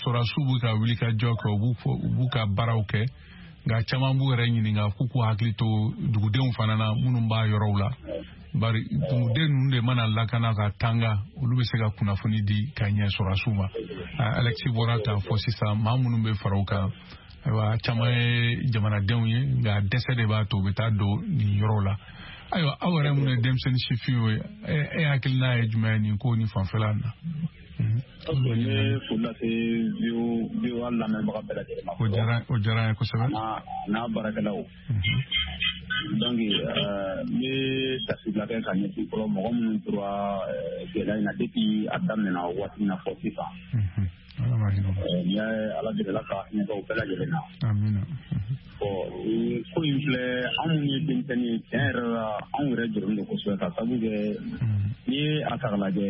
sɔrɔdasiw bɛ ka wuli ka jɔ kɛ, u b'u ka baaraw kɛ, nka caman b'u yɛrɛ ɲininka k'u k'u hakili to dugudenw fana na minnu b'a yɔrɔw la. Bari duguden ninnu de mana lakana ka tanga, olu bɛ se ka kunnafoni di ka ɲɛ sɔrɔdasiw ma. Alexis bɔra k'a fɔ sisan, maa minnu bɛ fara u kan, ayiwa, caman ye jamanadenw ye, nka dɛsɛ de b'a to u bɛ taa don nin yɔrɔw la. Ayiwa, aw yɛrɛ minnu ye denmisɛnnin sifinw ye, e hakilina ye jumɛn ye nin ko ni fanfɛla na? Ne foli lase VOA lamɛnbaga bɛɛ lajɛlen ma. O diyara n ye kosɛbɛ. N'a baarakɛlaw. Donc n bɛ tasibila kɛ ka ɲɛsin fɔlɔ mɔgɔ minnu tora gɛlɛya in na depuis a daminɛna waati min na fɔ sisan. N y'a Ala deli Ala ka hinɛ kɛ u bɛɛ lajɛlen na. Amina. Bon, ko in filɛ, anw minnu ye denmisɛnnin ye, tiɲɛ yɛrɛ la, anw yɛrɛ jɔrɔlen don kosɛbɛ, ka sabu kɛ n'i ye a ta k'a lajɛ,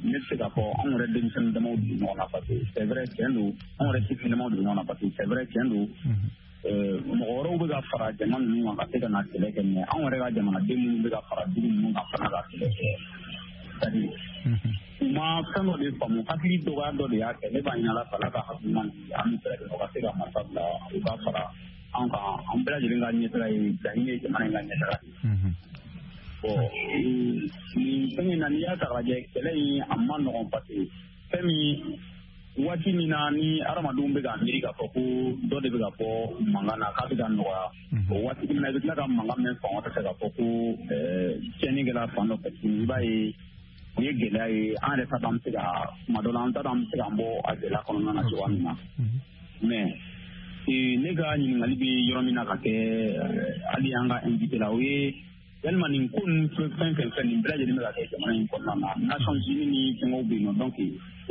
ne bɛ se k'a fɔ anw yɛrɛ denmisɛnnin damaw de bɛ ɲɔgɔn na, parce que c'est vrai, tiɲɛ don, anw yɛrɛ sifin damaw de bɛ ɲɔgɔn na, parce que c'est vrai, tiɲɛ don, mɔgɔ wɛrɛw bɛ ka fara jama ninnu kan ka se ka na kɛlɛ kɛ, mais anw yɛrɛ ka jamanaden minnu bɛ ka fara dugu ninnu kan fana ka kɛlɛ kɛ, c'est-à-dire u ma fɛn dɔ de faamu, hakili dɔgɔya dɔ de y'a kɛ. Ne b'a ɲini Ala fɛ, Ala ka hakili ɲuman di an bɛɛ lajɛlen ma, u ka se ka marifa bila, u ka fara an kan, an bɛɛ lajɛlen ka ɲɛtaga ye laɲini ye, jamana in ka ɲɛtaga de. Bon, nin fɛn in na, n'i y'a ta k'a lajɛ, kɛlɛ in a ma nɔgɔn, parce que fɛn min, waati min na ni hadamadenw bɛ ka miiri k'a fɔ ko dɔ de bɛ ka bɔ mankan na k'a bɛ ka nɔgɔya, o waati kelen na i bɛ tila ka mankan mɛn fan wɛrɛ fɛ k'a fɔ ko tiɲɛni kɛra fan dɔ fɛ tuguni. I b'a ye, o ye gɛlɛya ye. An yɛrɛ t'a dɔn an bɛ se ka tuma dɔ la, an t'a dɔn an bɛ se k'an bɔ a gɛlɛya kɔnɔna na cogoya min na. Mais ne ka ɲininkali bɛ yɔrɔ min na ka kɛ hali an ka invité la, o ye yalima nin ko ninnu fɛn fɛn fɛn nin bɛɛ lajɛlen bɛ ka kɛ jamana in kɔnɔna na, Nations Unies ni fɛngɛw bɛ yen nɔ, donc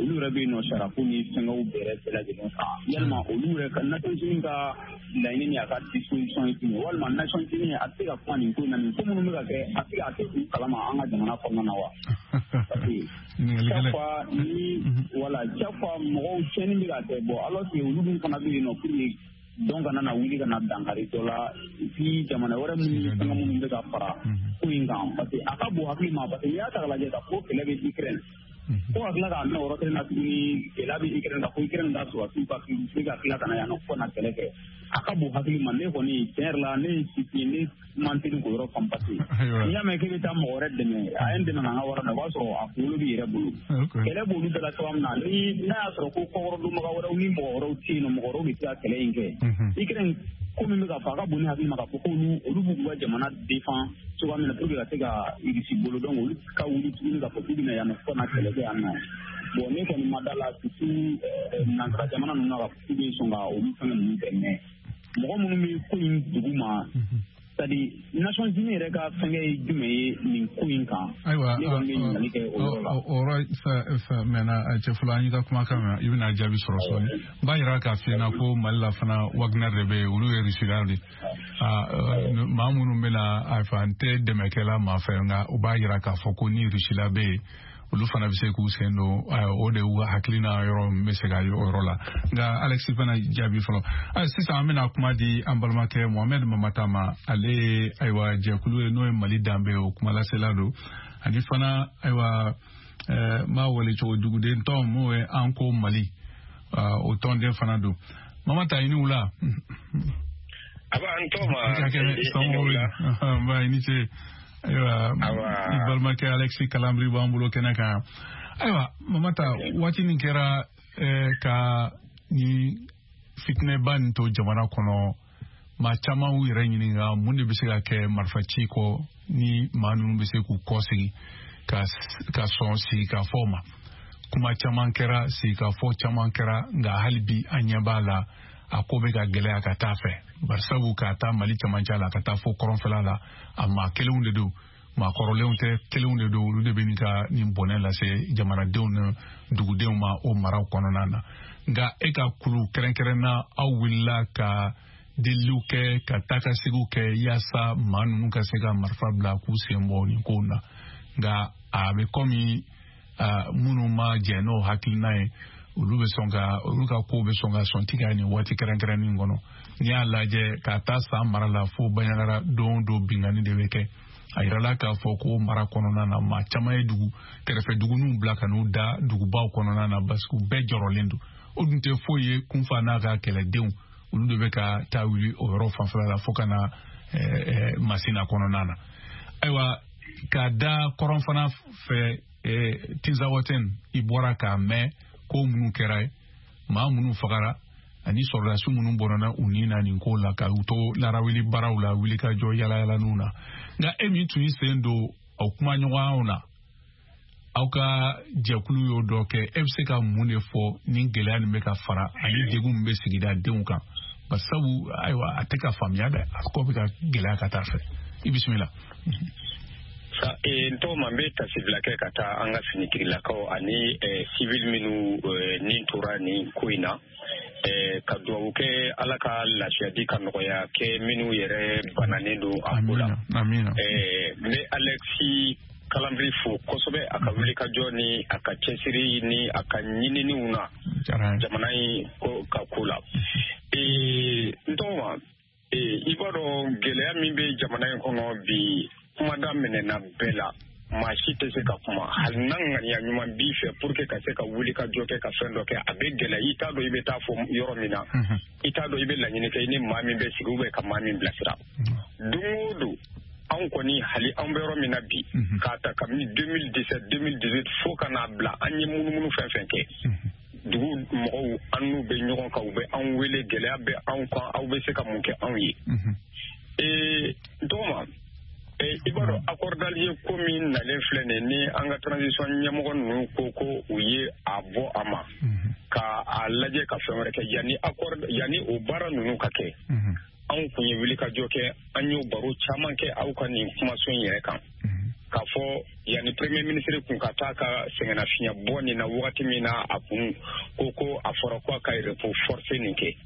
olu yɛrɛ bɛ yen nɔ sarako ni fɛngɛw bɛɛ lajɛlen kan, yalima olu yɛrɛ ka Nations Unies ka laɲini ni a ka disposition ye jumɛn, walima Nations Unies a tɛ se ka kuma nin ko in na, nin ko minnu bɛ ka kɛ, a tɛ se ka kɛ u kalama an ka jamana kɔnɔna na wa? Parce que chaque fois ni, voilà, chaque fois mɔgɔw tiɲɛni bɛ ka kɛ, bon, alors que olu dun fana bɛ yen nɔ pour que donc kana na wuli ka na dankari dɔ la, et puis jamana wɛrɛ minnu ni fɛngɛ minnu bɛ ka fara ko in kan, parce que a ka bon hakili ma, parce que n'i y'a ta k'a lajɛ k'a fɔ ko kɛlɛ bɛ Ukraine, fo ka tila k'a mɛn o yɔrɔ kelen na tuguni, gɛlɛya bɛ Ukraine, ka fɔ Ukraine ka sɔrɔdasiw ka se ka tila ka na yan nɔ fo ka na kɛlɛ kɛ, a ka bon hakili ma. Ne kɔni, tiɲɛ yɛrɛ la, ne ye sifin, ne man teli k'o yɔrɔ faamu, parce que n'i y'a mɛn k'e bɛ taa mɔgɔ wɛrɛ dɛmɛ, a ye n dɛmɛ k'an ka wari minɛ, o b'a sɔrɔ a kunkolo b'i yɛrɛ bolo, kɛlɛ b'olu bɛɛ la cogoya min na, ni n'a y'a sɔrɔ ko kɔkɔrɔdonbaga wɛrɛw ni mɔgɔ wɛrɛw tɛ yen nɔ, mɔgɔ wɛrɛw de tɛ se ka kɛlɛ in kɛ. Ukraine ko min bɛ ka fɔ, a ka bon ni hakili ma k'a fɔ ko olu b'u ka jamana défend cogoya min na pour que ka se ka Irisi bolo, donc olu ka wuli tuguni k'a fɔ k'u bɛna yan nɔ fo ka na kɛlɛ kɛ yan nɔ. Bon, ne kɔni ma da la, surtout nansara jamana ninnu na, k'a fɔ k'u bɛ sɔn ka olu fɛngɛ ninnu kɛ, mais mɔgɔ minnu bɛ ko in dugu ma, c'est-à-dire Nations Unies yɛrɛ ka fɛngɛ ye jumɛn ye nin ko in kan? Ayiwa, ne kɔni bɛ ɲininkali kɛ o yɔrɔ la. O yɔrɔ mɛnna, cɛ fɔlɔ, an y'i ka kumakan mɛn, i bɛna jaabi sɔrɔ sɔɔni. N b'a yira k'a f'i ɲɛna ko Mali la fana, Wagner de bɛ yen, olu ye Rusilaw de, maa minnu bɛna a fɛ, an tɛ dɛmɛkɛla maa fɛ, nka u b'a yira k'a fɔ ko ni Rusila bɛ yen, olu fana bɛ se k'u sen don. O de y'u ka hakilina yɔrɔ min bɛ se ka ye o yɔrɔ la. Nka Alexis fana jaabi fɔlɔ. Sisan an bɛna kuma di an balimakɛ Mohamed Mamata ma. Ale ye, ayiwa, jɛkulu ye n'o ye Mali danbe ye, o kumalasela don, ani fana, ayiwa, m'a wele cogo, duguden tɔn m'o ye an ko Mali, o tɔnden fana don. Mamata, i ni wula. Aba, an tɔgɔma. Nba, i ni ce. Ayiwa, i balimakɛ Alexis Kalambry b'an bolo kɛnɛ kan. Ayiwa Mamata, waati min kɛra ka ni fitinɛba nin to jamana kɔnɔ, maa caman y'u yɛrɛ ɲininka mun de bɛ se ka kɛ marifaci kɔ ni maa ninnu bɛ se k'u kɔ segin ka sɔn sigikafɔ ma. Kuma caman kɛra, sigikafɔ caman kɛra, nka hali bi an ɲɛ b'a la, a ko bɛ ka gɛlɛya ka taa fɛ, barisabu k'a taa Mali camancɛ la ka taa fo kɔrɔnfɛla la, a maa kelenw de don, maa kɔrɔlenw tɛ, kelenw de don, olu de bɛ nin ka nin bɔnɛ lase jamanadenw ni dugudenw ma o maraw kɔnɔna na. Nka e ka kulu kɛrɛnkɛrɛnna, aw wulila ka deliliw kɛ, ka taa ka segiw kɛ, yaasa maa ninnu ka se ka marifa bila k'u sen bɔ nin kow na, nka a bɛ kɔmi minnu ma jɛn n'o hakilina ye, olu bɛ sɔn ka olu ka kow bɛ sɔn ka sɔn tigɛ nin waati kɛrɛnkɛrɛnnin kɔnɔ. N'i y'a lajɛ ka taa san mara la fo Bandiagara, don o don binkanni de bɛ kɛ. A yirala k'a fɔ ko mara kɔnɔna na, maa caman ye dugu kɛrɛfɛ duguninw bila ka n'u da dugubaw kɔnɔna na, parce que u bɛɛ jɔrɔlen don. O dun tɛ foyi ye, kunfa n'a ka kɛlɛdenw, olu de bɛ ka taa wuli o yɔrɔ fanfɛla la fo ka na Masina kɔnɔna na. Ayiwa, ka da kɔrɔn fana fɛ, Tinzawatɛn, i bɔra k'a mɛn ko minnu kɛra ye, maa minnu fagara ani sɔrɔdasi minnu bɔnna u ni na nin ko la, ka u to larawuli baaraw la, wuli ka jɔ yalayalaniw na. Nka e min tun y'i sen don aw kumaɲɔgɔnyaw na, aw ka jɛkulu y'o dɔ kɛ, e bɛ se ka mun de fɔ nin gɛlɛya nin bɛ ka fara ani degun min bɛ sigida denw kan? Barisabu, ayiwa, a tɛ ka faamuya dɛ, a ko bɛ ka gɛlɛya ka taa fɛ. I bisimila. N tɔgɔ ma, n bɛ tasibila kɛ ka taa an ka finitigilakaw ani civil minnu nin tora nin ko in na. Ka dugawu kɛ Ala ka lafiya di ka nɔgɔya kɛ minnu yɛrɛ bananen don a ko la. Amina. N bɛ Alexis Kalambry fo kosɛbɛ a ka wulikajɔ ni a ka cɛsiri ni a ka ɲininiw na jamana in ka ko la. N tɔgɔma, i b'a dɔn gɛlɛya min bɛ jamana in kɔnɔ bi, kuma daminɛna bɛɛ la. Maa si tɛ se ka kuma, hali n'a ŋaniya ɲuman b'i fɛ pour que ka se ka wuli ka jɔ kɛ ka fɛn dɔ kɛ, a bɛ gɛlɛya. I t'a dɔn i bɛ taa fɔ yɔrɔ min na, i t'a dɔn i bɛ laɲini kɛ i ni maa min bɛ sigi ou bien ka maa min bilasira. Don o don, anw kɔni, hali anw bɛ yɔrɔ min na bi, k'a ta kabini 2017, 2018 fo ka n'a bila an ye munumunu fɛn fɛn kɛ, dugu mɔgɔw, an n'u bɛ ɲɔgɔn kan, u bɛ anw wele, gɛlɛya bɛ anw kan, aw bɛ se ka mun kɛ anw ye? N tɔgɔma, i b'a dɔn accord d'Alger ko min nalen filɛ nin ni an ka transition ɲɛmɔgɔ ninnu ko u ye a bɔ a ma ka a lajɛ ka fɛn wɛrɛ kɛ. Yanni accord, yanni o baara ninnu ka kɛ, anw kun ye wulikajɔ kɛ, an y'o baro caman kɛ aw ka nin kumaso in yɛrɛ kan, k'a fɔ yanni premier ministre kun ka taa ka sɛgɛnnafiɲɛ bɔ nin na, wagati min na a kun ko a fɔra ko a ka repos forcé nin kɛ,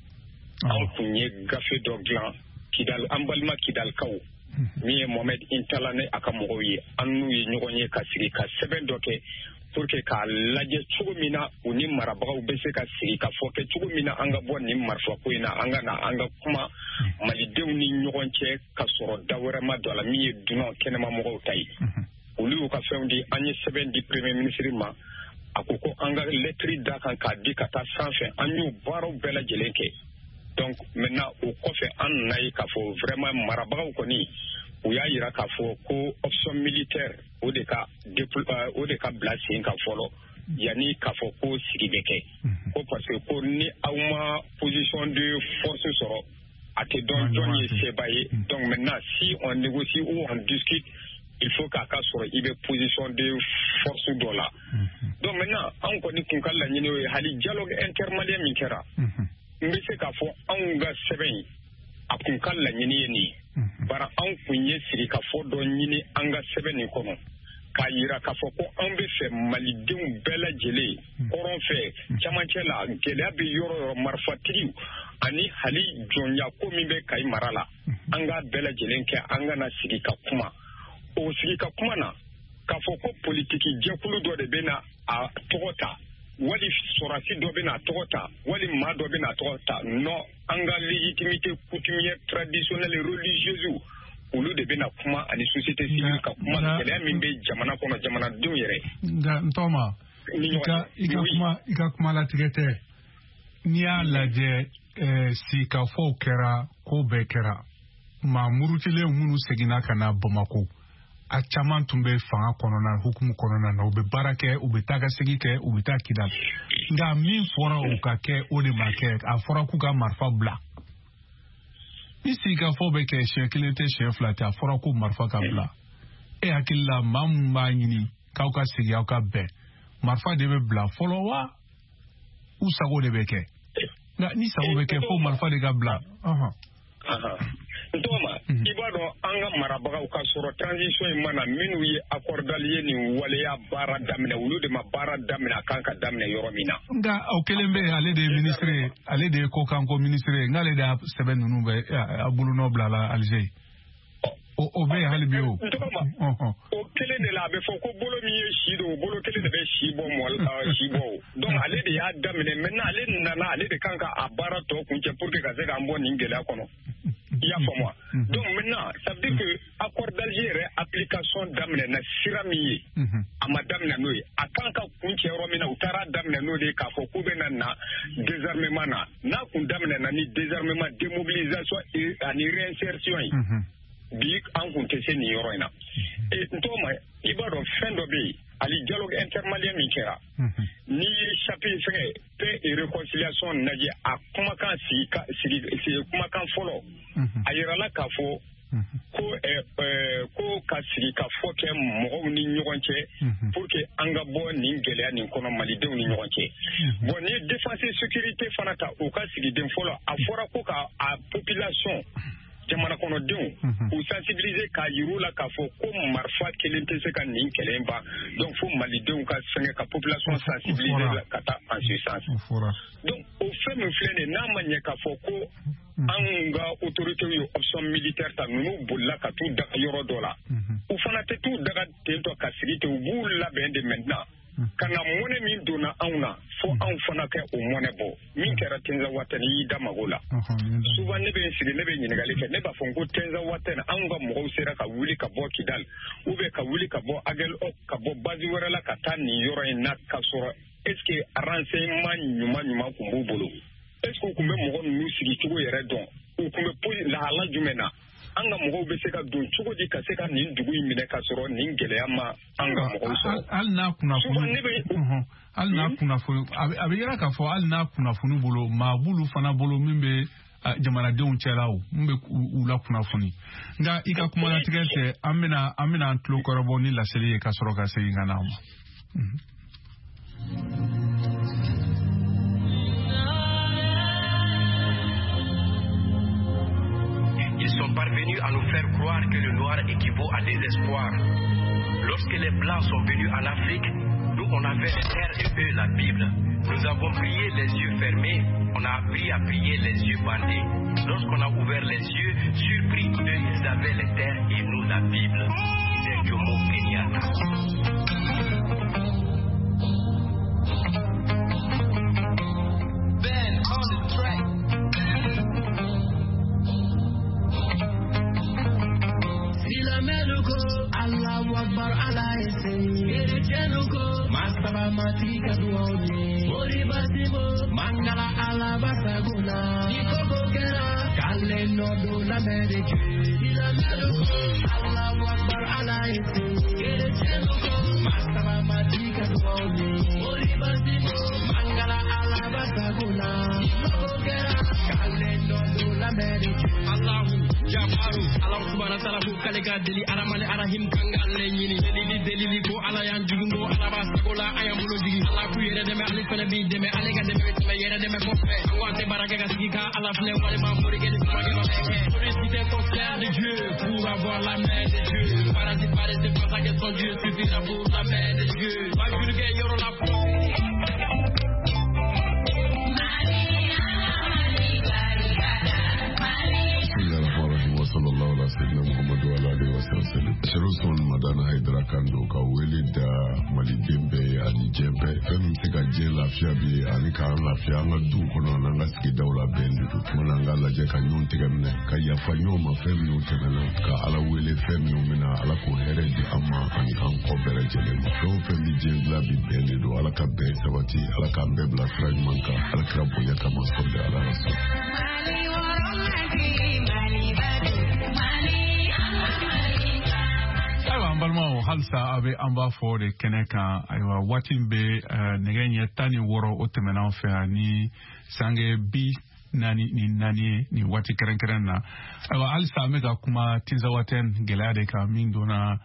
anw kun ye gafe dɔ dilan Kidal, an balima Kidalikaw, min ye Mohamed Intala ni a ka mɔgɔw ye, an n'u ye ɲɔgɔn ye ka sigi ka sɛbɛn dɔ kɛ pour que k'a lajɛ cogo min na u ni marabagaw bɛ se ka sigi ka fɔ kɛ cogo min na an ka bɔ nin marifako in na, an ka na an ka kuma malidenw ni ɲɔgɔn cɛ ka sɔrɔ da wɛrɛ ma don a la min ye dunan kɛnɛma mɔgɔw ta ye. Olu y'u ka fɛnw di, an ye sɛbɛn di premier ministre ma, a ko ko an ka lettre da kan k'a di ka taa sanfɛ. An y'o baaraw bɛɛ lajɛlen kɛ. Donc maintenant, o kɔfɛ, an nana ye k'a fɔ vraiment marabagaw kɔni, u y'a yira k'a fɔ ko option militaire, o de ka bila sen kan fɔlɔ yanni k'a fɔ ko sigi bɛ kɛ, ko parce que ko ni aw ma position de force sɔrɔ, a tɛ dɔn jɔn ye seba ye. Donc maintenant, si on négocie ou on discute, il faut k'a ka sɔrɔ i bɛ position de force dɔ la. Donc maintenant, anw kɔni kun ka laɲini o ye. Hali dialogue intermalien min kɛra, n bɛ se k'a fɔ anw ka sɛbɛn in, a kun ka laɲini ye nin ye. Bara anw kun ye sigikafɔ dɔ ɲini an ka sɛbɛn nin kɔnɔ k'a yira k'a fɔ ko anw bɛ fɛ malidenw bɛɛ lajɛlen, kɔrɔn fɛ, camancɛ la, gɛlɛya bɛ yɔrɔ yɔrɔ, marifatigiw ani hali jɔnya ko min bɛ Kayi mara la, an k'a bɛɛ lajɛlen kɛ, an ka na sigi ka kuma. O sigi ka kuma na, k'a fɔ ko politiki jɛkulu dɔ de bɛ na a tɔgɔ ta, wali sɔrɔdasi dɔ bɛ n'a tɔgɔ ta, wali maa dɔ bɛ n'a tɔgɔ ta, non, an ka légitimité coutumière, traditionnelle, religieuse, olu de bɛna kuma ani société civile ka kuma gɛlɛya min bɛ jamana kɔnɔ, jamanadenw yɛrɛ. Nka n tɔgɔma, i ka kuma latigɛ tɛ. N'i y'a lajɛ, sigikafɔw kɛra, ko bɛɛ kɛra, maa murutilen minnu seginna ka na Bamako, a caman tun bɛ fanga kɔnɔna hukumu kɔnɔna na, u bɛ baara kɛ, u bɛ taa ka segin kɛ, u bɛ taa Kidal. Nka min fɔra o ka kɛ, o de ma kɛ. A fɔra k'u ka marifa bila. Ni sigikafɔ bɛ kɛ, siɲɛ kelen tɛ, siɲɛ fila tɛ, a fɔra ko marifa ka bila. E hakili la, maa min b'a ɲini k'aw ka sigi, aw ka bɛn, marifa de bɛ bila fɔlɔ wa u sago de bɛ kɛ? Nka ni sago bɛ kɛ, fo marifa de ka bila. N tɔgɔma, i b'a dɔn an ka marabagaw ka sɔrɔ transition in mana, minnu ye accord d'Alger nin waleya baara daminɛ, olu de ma baara daminɛ a kan ka daminɛ yɔrɔ min na. Nka o kelen bɛ yen, ale de ye ministre ye, ale de ye kɔkanko ministre ye, n'ale de y'a sɛbɛn ninnu bɛ a bolonɔ bila la Alger, o bɛ yen hali bi o. N tɔgɔma, o kelen de la, a bɛ fɔ ko bolo min ye si don, o bolo kelen de bɛ si bɔ mɔ si bɔ o. Donc ale de y'a daminɛ. Maintenant, ale nana, ale de kan ka a baara tɔ kuncɛ pour que ka se k'an bɔ nin gɛlɛya kɔnɔ. I y'a faamu wa? Donc maintenant, ça veut dire que accord d'Alger yɛrɛ application daminɛ na sira min ye, a ma daminɛ n'o ye. A kan ka kuncɛ yɔrɔ min na, u taara daminɛ n'o de ye, k'a fɔ k'u bɛ na désarmement na. N'a kun daminɛ na ni désarmement, démobilisation ani réinsertion ye, bi an kun tɛ se nin yɔrɔ in na. N tɔgɔma, i b'a dɔn fɛn dɔ bɛ yen, hali dialogue intermalien min kɛra, n'i ye chapitre fɛngɛ paix et réconciliation lajɛ, a kumakan sigi sigi kumakan fɔlɔ, a yirala k'a fɔ ko ka sigi ka fɔ kɛ mɔgɔw ni ɲɔgɔn cɛ pour que an ka bɔ nin gɛlɛya nin kɔnɔ, malidenw ni ɲɔgɔn cɛ. Bon, n'i ye défense et sécurité fana ta, u ka sigiden fɔlɔ, a fɔra ko ka a population jamana kɔnɔdenw k'u sensibiliser k'a yir'u la k'a fɔ ko marifa kelen tɛ se ka nin kɛlɛ in ban. Donc fo malidenw ka fɛngɛ ka population sensibiliser ka taa en ce sens. Donc o fɛn min filɛ nin ye, n'a ma ɲɛ k'a fɔ ko anw ka autorités ye option militaire ta, ninnu bolila ka t'u daga yɔrɔ dɔ la, u fana tɛ t'u daga ten tɔ ka sigi ten, u b'u labɛn de maintenant ka na mɔnɛ min donna anw na, fo anw fana kɛ o mɔnɛ bɔ. Min kɛra Tinzawatɛn, i y'i da mago la. Souvent ne bɛ n sigi, ne bɛ ɲininkali kɛ, ne b'a fɔ n ko Tinzawatɛn, anw ka mɔgɔw sera ka wuli ka bɔ Kidal ou bien ka wuli ka bɔ Aguelhok, ka bɔ base wɛrɛ la ka taa nin yɔrɔ in na, ka sɔrɔ est ce que renseignement ɲuman ɲuman tun b'u bolo? Est ce que u tun bɛ mɔgɔ ninnu sigi cogo yɛrɛ dɔn? U tun bɛ lahala jumɛn na? An ka mɔgɔw bɛ se ka don cogo di ka se ka nin dugu in minɛ ka sɔrɔ nin gɛlɛya ma an ka mɔgɔw sɔrɔ? Hali n'a kunnafoni, a bɛ yira k'a fɔ hali n'a kunnafoni bolo, maa b'olu fana bolo min bɛ jamanadenw cɛla o, min bɛ u la kunnafoni. Nka i ka kumalatigɛ tɛ, an bɛna an tulo kɔrɔbɔ ni laseli ye ka sɔrɔ ka segin ka na ma. Ils sont parvenus à nous faire croire que le noir équivaut à désespoir. Lorsque les Blancs sont venus en Afrique, nous on avait les terres et eux la Bible. Nous avons prié les yeux fermés, on a appris à prier les yeux bandés. Lorsqu'on a ouvert les yeux, surpris, eux ils avaient les terres et nous la Bible. Disait Jomo Kenyatta. Ben on the track. Silamɛluko, Allahu Akbar, Ala ye se. Kerecɛnnuko, masaba matigi ka duwaw ye. Mori basimo, mangala Ala basagona. Ni koko kɛra, k'ale nɔ don lamɛn de Dieu. Silamɛluko, Allahu Akbar, Ala ye se. Kerecɛnnuko, masaba matigi ka duwaw ye. Mori basimo, mangala Ala basagona. Ni koko kɛra, k'ale nɔ don lamɛn de Dieu. Allahu Jafaru, Ala subhanahu wa ta'ala ko k'ale ka deli Aramani Arahim kan k'ale ɲini. Delili delili ko Ala y'an jigin ko Ala b'a sago la an y'an bolo jigin. Ala k'u yɛrɛ dɛmɛ ale fɛnɛ b'i dɛmɛ, ale ka dɛmɛ bɛ tɛmɛ yɛrɛ dɛmɛ kɔfɛ. An ko an tɛ baara kɛ ka sigi ka Ala filɛ walima morikɛ ni kumakɛ ma bɛɛ kɛ. Sollicitez ton frère de Dieu pour avoir la main de Dieu. Parasite paresseux pense à que son Dieu suffira pour la main de Dieu. Bajurukɛ yɔrɔ la fo. Sallallahu alaihi wasallam Muhammadu ala alihi wasallam. Sherif Usman Madani Haidara kan don ka wele da maliden bɛɛ ani diɲɛ bɛɛ, fɛn min bɛ se ka diɲɛ lafiya bi ani k'an lafiya an ka duw kɔnɔ an'an ka sigidaw la bɛn de don. Tuma na an k'a lajɛ ka ɲɔgɔn tɛgɛ minɛ, ka yafa ɲɔgɔn ma fɛn minnu tɛmɛna, ka Ala wele fɛn minnu bɛna, Ala k'o hɛrɛ di an ma ani k'an kɔ bɛɛ lajɛlen ma. Fɛn o fɛn bɛ diɲɛ dilan bi bɛn de don. Ala ka bɛn sabati, Ala k'an bɛɛ bila sira ɲuman kan, Ala kira bonya kama sɔli Ala rasul. Ayiwa an balimaw, halisa a bɛ an b'a fɔ de kɛnɛ kan. Ayiwa waati min bɛ nɛgɛ ɲɛ 16 o tɛmɛna an fɛ yan ni sange 44 ye nin waati kɛrɛnkɛrɛn na. Ayiwa halisa an bɛ ka kuma Tinzawatɛn gɛlɛya de kan min donna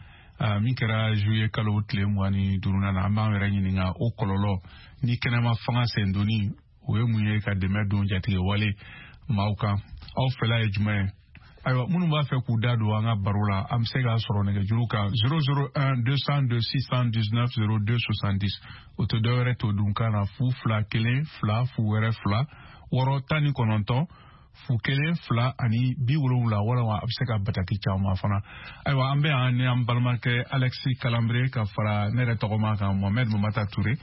min kɛra juillet kalo tile 25 na. An b'an yɛrɛ ɲininka o kɔlɔlɔ ni kɛnɛma fanga sendonni o ye mun ye ka dɛmɛ don jatigɛ wale maaw kan. Aw fɛla ye jumɛn ye? Ayiwa minnu b'a fɛ k'u da don an ka baro la, an bɛ se k'a sɔrɔ nɛgɛjuru kan 001 202 619 02 70. O tɛ dɔwɛrɛ to dunkan na 0 2 1 2 0 2 6 19 0 1 2 ani 70, walima a bɛ se ka bataki caman fana. Ayiwa an bɛ yan ni an balimakɛ Alexis Kalanbire ka fara ne yɛrɛ tɔgɔma kan Mohamed Mamata Toure.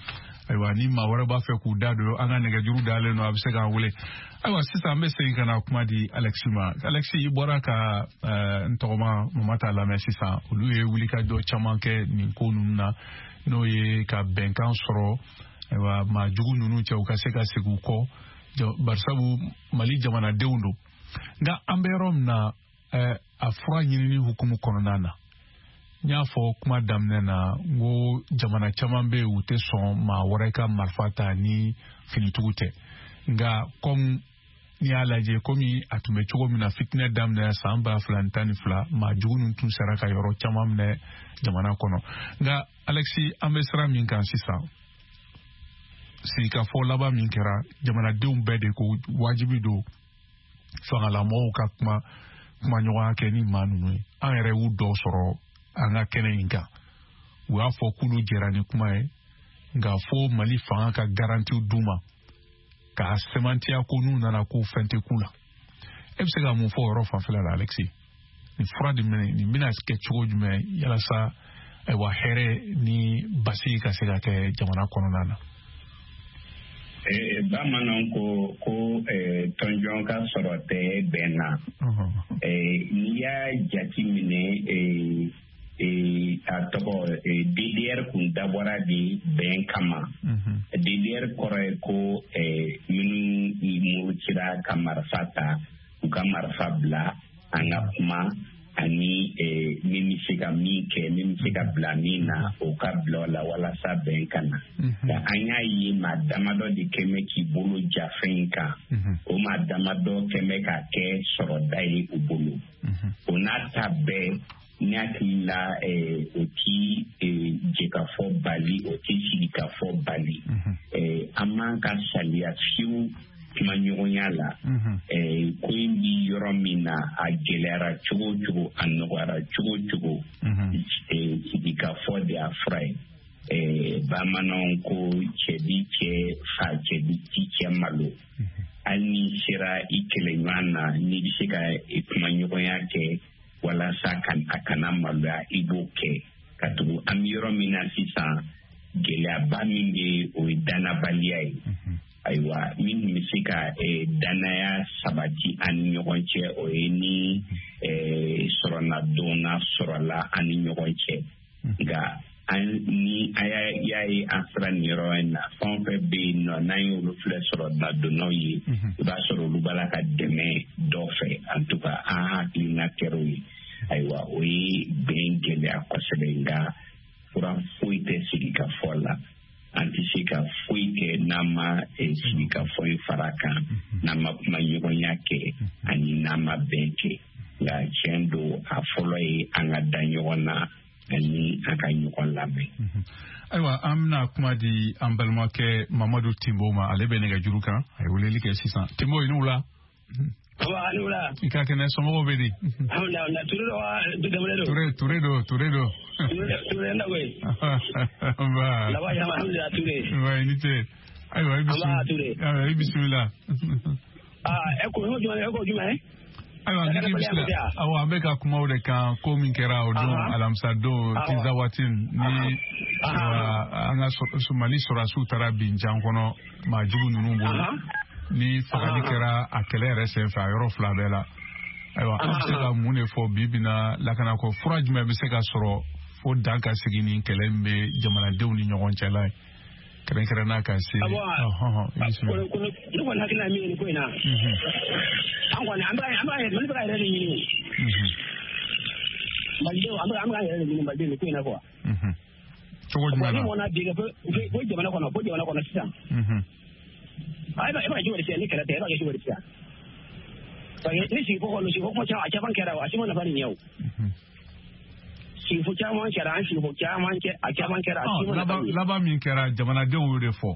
Ayiwa ni maa wɛrɛ b'a fɛ k'u da don an ka nɛgɛjuru dalen don, a bɛ se k'an wele. Ayiwa sisan an bɛ segin ka na kuma di Alexis ma. Alexis, i bɔra ka n tɔgɔma Mamata lamɛn sisan. Olu ye wulikajɔ caman kɛ nin ko ninnu na, n'o ye ka bɛnkan sɔrɔ ayiwa maa jugu ninnu cɛ, u ka se ka segin u kɔ, barisabu Mali jamanadenw don. Nka an bɛ yɔrɔ min na, a fura ɲinini hukumu kɔnɔna na, n y'a fɔ kuma daminɛ na n ko jamana caman bɛ yen u tɛ sɔn maa wɛrɛ ka marifa ta ni finitigiw tɛ. Nka komi n'i y'a lajɛ komi a tun bɛ cogo min na fitinɛ daminɛ san 2012, maa jugu ninnu tun sera ka yɔrɔ caman minɛ jamana kɔnɔ. Nka Alexis, an bɛ sira min kan sisan, sigikafɔ laban min kɛra, jamanadenw bɛɛ de ko wajibi don fangalamɔgɔw ka kuma kumaɲɔgɔnya kɛ ni maa ninnu ye. An yɛrɛ y'u dɔw sɔrɔ an ka kɛnɛ in kan, u y'a fɔ k'olu jɛra ni kuma ye, nka fo Mali fanga ka garantiw d'u ma k'a sɛmɛntiya ko n'u nana ko fɛn tɛ k'u la. E bɛ se ka mun fɔ o yɔrɔ fanfɛla la, Alexis? Nin fura de minɛ nin bɛna kɛ cogo jumɛn yalasa ayiwa hɛrɛ ni basigi ka se ka kɛ jamana kɔnɔna na? Bamananw ko tɔnjɔn ka sɔrɔ tɛ bɛn na. N'i y'a jate minɛ, a tɔgɔ DDR kun dabɔra de bɛn kama. DDR kɔrɔ ye ko minnu murutira ka marifa ta, u ka marifa bila, an ka kuma, ani min bɛ se ka min kɛ, min bɛ se ka bila min na, o ka bila o la walasa bɛn ka na. Nka an y'a ye maa damadɔ de kɛn bɛ k'i bolo ja fɛn in kan. O maa damadɔ kɛn bɛ k'a kɛ sɔrɔda ye u bolo. O n'a ta bɛɛ, ne hakili la o ti jɛkafɔ bali, o ti sigikafɔ bali. An man ka saliya fiyewu kumaɲɔgɔnya la. Ko in bi yɔrɔ min na, a gɛlɛyara cogo o cogo, a nɔgɔyara cogo o cogo, sigikafɔ de y'a fura ye. Bamananw ko cɛ bi cɛ fa, cɛ bi ti cɛ malo. Hali n'i sera i kɛlɛɲɔgɔn na, n'i bɛ se ka kumaɲɔgɔnya kɛ walasa a kana maloya, i b'o kɛ. Ka tugu an bɛ yɔrɔ min na sisan, gɛlɛyaba min bɛ, o ye danabaliya ye. Ayiwa, min bɛ se ka danaya sabati an ni ɲɔgɔn cɛ, o ye ni sɔrɔnadonna sɔrɔla an ni ɲɔgɔn cɛ. Nka ni an y'a ye an sera nin yɔrɔ in na, fɛn o fɛn bɛ yen nɔ, n'an y'olu filɛ sɔrɔnadonnaw ye, i b'a sɔrɔ olu b'a la ka dɛmɛ dɔ fɛ. En tout cas, an hakilina kɛra o ye. Ayiwa, o ye bɛn gɛlɛya kosɛbɛ, nka fura foyi tɛ sigikafɔ la. An tɛ se ka foyi kɛ n'an ma sigikafɔ in fara kan, n'an ma kumaɲɔgɔnya kɛ, ani n'an ma bɛn kɛ. Nka tiɲɛ don, a fɔlɔ ye an ka da ɲɔgɔn na ani an ka ɲɔgɔn lamɛn. Ayiwa, an bɛna kuma di an balimakɛ Mamadu Timbo ma, ale bɛ nɛgɛjuru kan, a ye weleli kɛ sisan. Timbo, i ni wula. Aba, ni wula. I ka kɛnɛ, somɔgɔw bɛ di? Alhamdulilah, Ture don wa Dembele don? Ture don, Ture don. Ture na koyi. Nba. Laban yɛrɛ, alhamdulilah, Ture. Nba, i ni ce. Ayiwa, i bisimila. Nba, Ture. Ayiwa, i bisimila. Aa, e ko jumɛn? Ayiwa, ne k'i bisimila. Awɔ, an bɛ ka kuma o de kan, ko min kɛra o don, alamisa don, Tinzawatin, ni an ka Mali sɔrɔdasiw taara bin jan kɔnɔ maa jugu ninnu bolo. Ni fagali kɛra a kɛlɛ yɛrɛ senfɛ a yɔrɔ fila bɛɛ la. Ayiwa, an bɛ se ka mun de fɔ bi bi na lakanako fura jumɛn bɛ se ka sɔrɔ fo dan ka sigi nin kɛlɛ min bɛ jamanadenw ni ɲɔgɔn cɛ la ye, kɛrɛnkɛrɛnn'a ka se. Ne kɔni hakilina ye min ye nin ko in na, an kɔni an bɛ Mali bɛ ka yɛrɛ de ɲini. Malidenw, an bɛ ka yɛrɛ de ɲini Malidenw nin ko in na quoi. Cogo jumɛn na? Ni mɔna bi ko jamana kɔnɔ sisan. E b'a kɛ cogo di sisan ni kɛlɛ tɛ, e b'a kɛ cogo di sisan? Parce que ni sigifɔ kɔni, sigifɔ kuma caman, a caman kɛra o, a si ma nafa nin ɲɛ o. Sigifɔ caman kɛra, an sigifɔ caman kɛ, a caman kɛra, a si ma nafa nin ɲɛ. Laban min kɛra, jamanadenw y'o de fɔ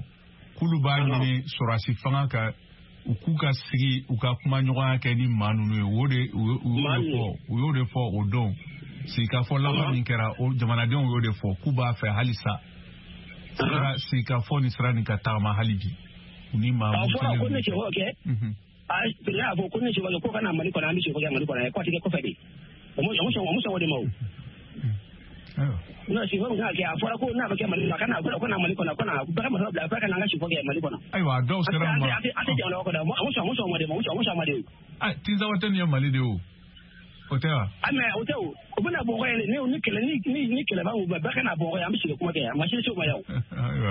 k'olu b'a ɲini sɔrɔdasi fanga ka u k'u ka sigi, u ka kumaɲɔgɔnya kɛ ni maa ninnu ye. O de u y'o de fɔ o don. Sigikafɔ laban min kɛra, o jamanadenw y'o de fɔ k'u b'a fɛ halisa sigikafɔ ni sira nin ka tagama hali bi. Ni maa a fɔra ko ne sɛfɔ kɛ, a y'a fɔ ko ne sɛfɔ kɛ ko ka na Mali kɔnɔ, an bɛ sɛfɔ kɛ Mali kɔnɔ, ko a tɛ kɛ kɔfɛ de. O ma sɔn o de ma o. N'o sɛfɔ min kan ka kɛ, a fɔra ko n'a bɛ kɛ Mali la, ko na Mali kɔnɔ, ko na bɛɛ ka marifa bila, bɛɛ ka na an ka sɛfɔ kɛ Mali kɔnɔ. Ayiwa, a dɔw sera ma. A tɛ jamana kɔnɔ, a ma sɔn o de ma, a ma sɔn o de. Tinzawatɛni ye Mali de ye o. O tɛ wa? Mais o tɛ o. O bɛna bɔgɔ ye, ni kɛlɛ ni kɛlɛ b'an bɛɛ ka na bɔgɔ ye, an bɛ sigi kuma kɛ, a ma se o ma yan o.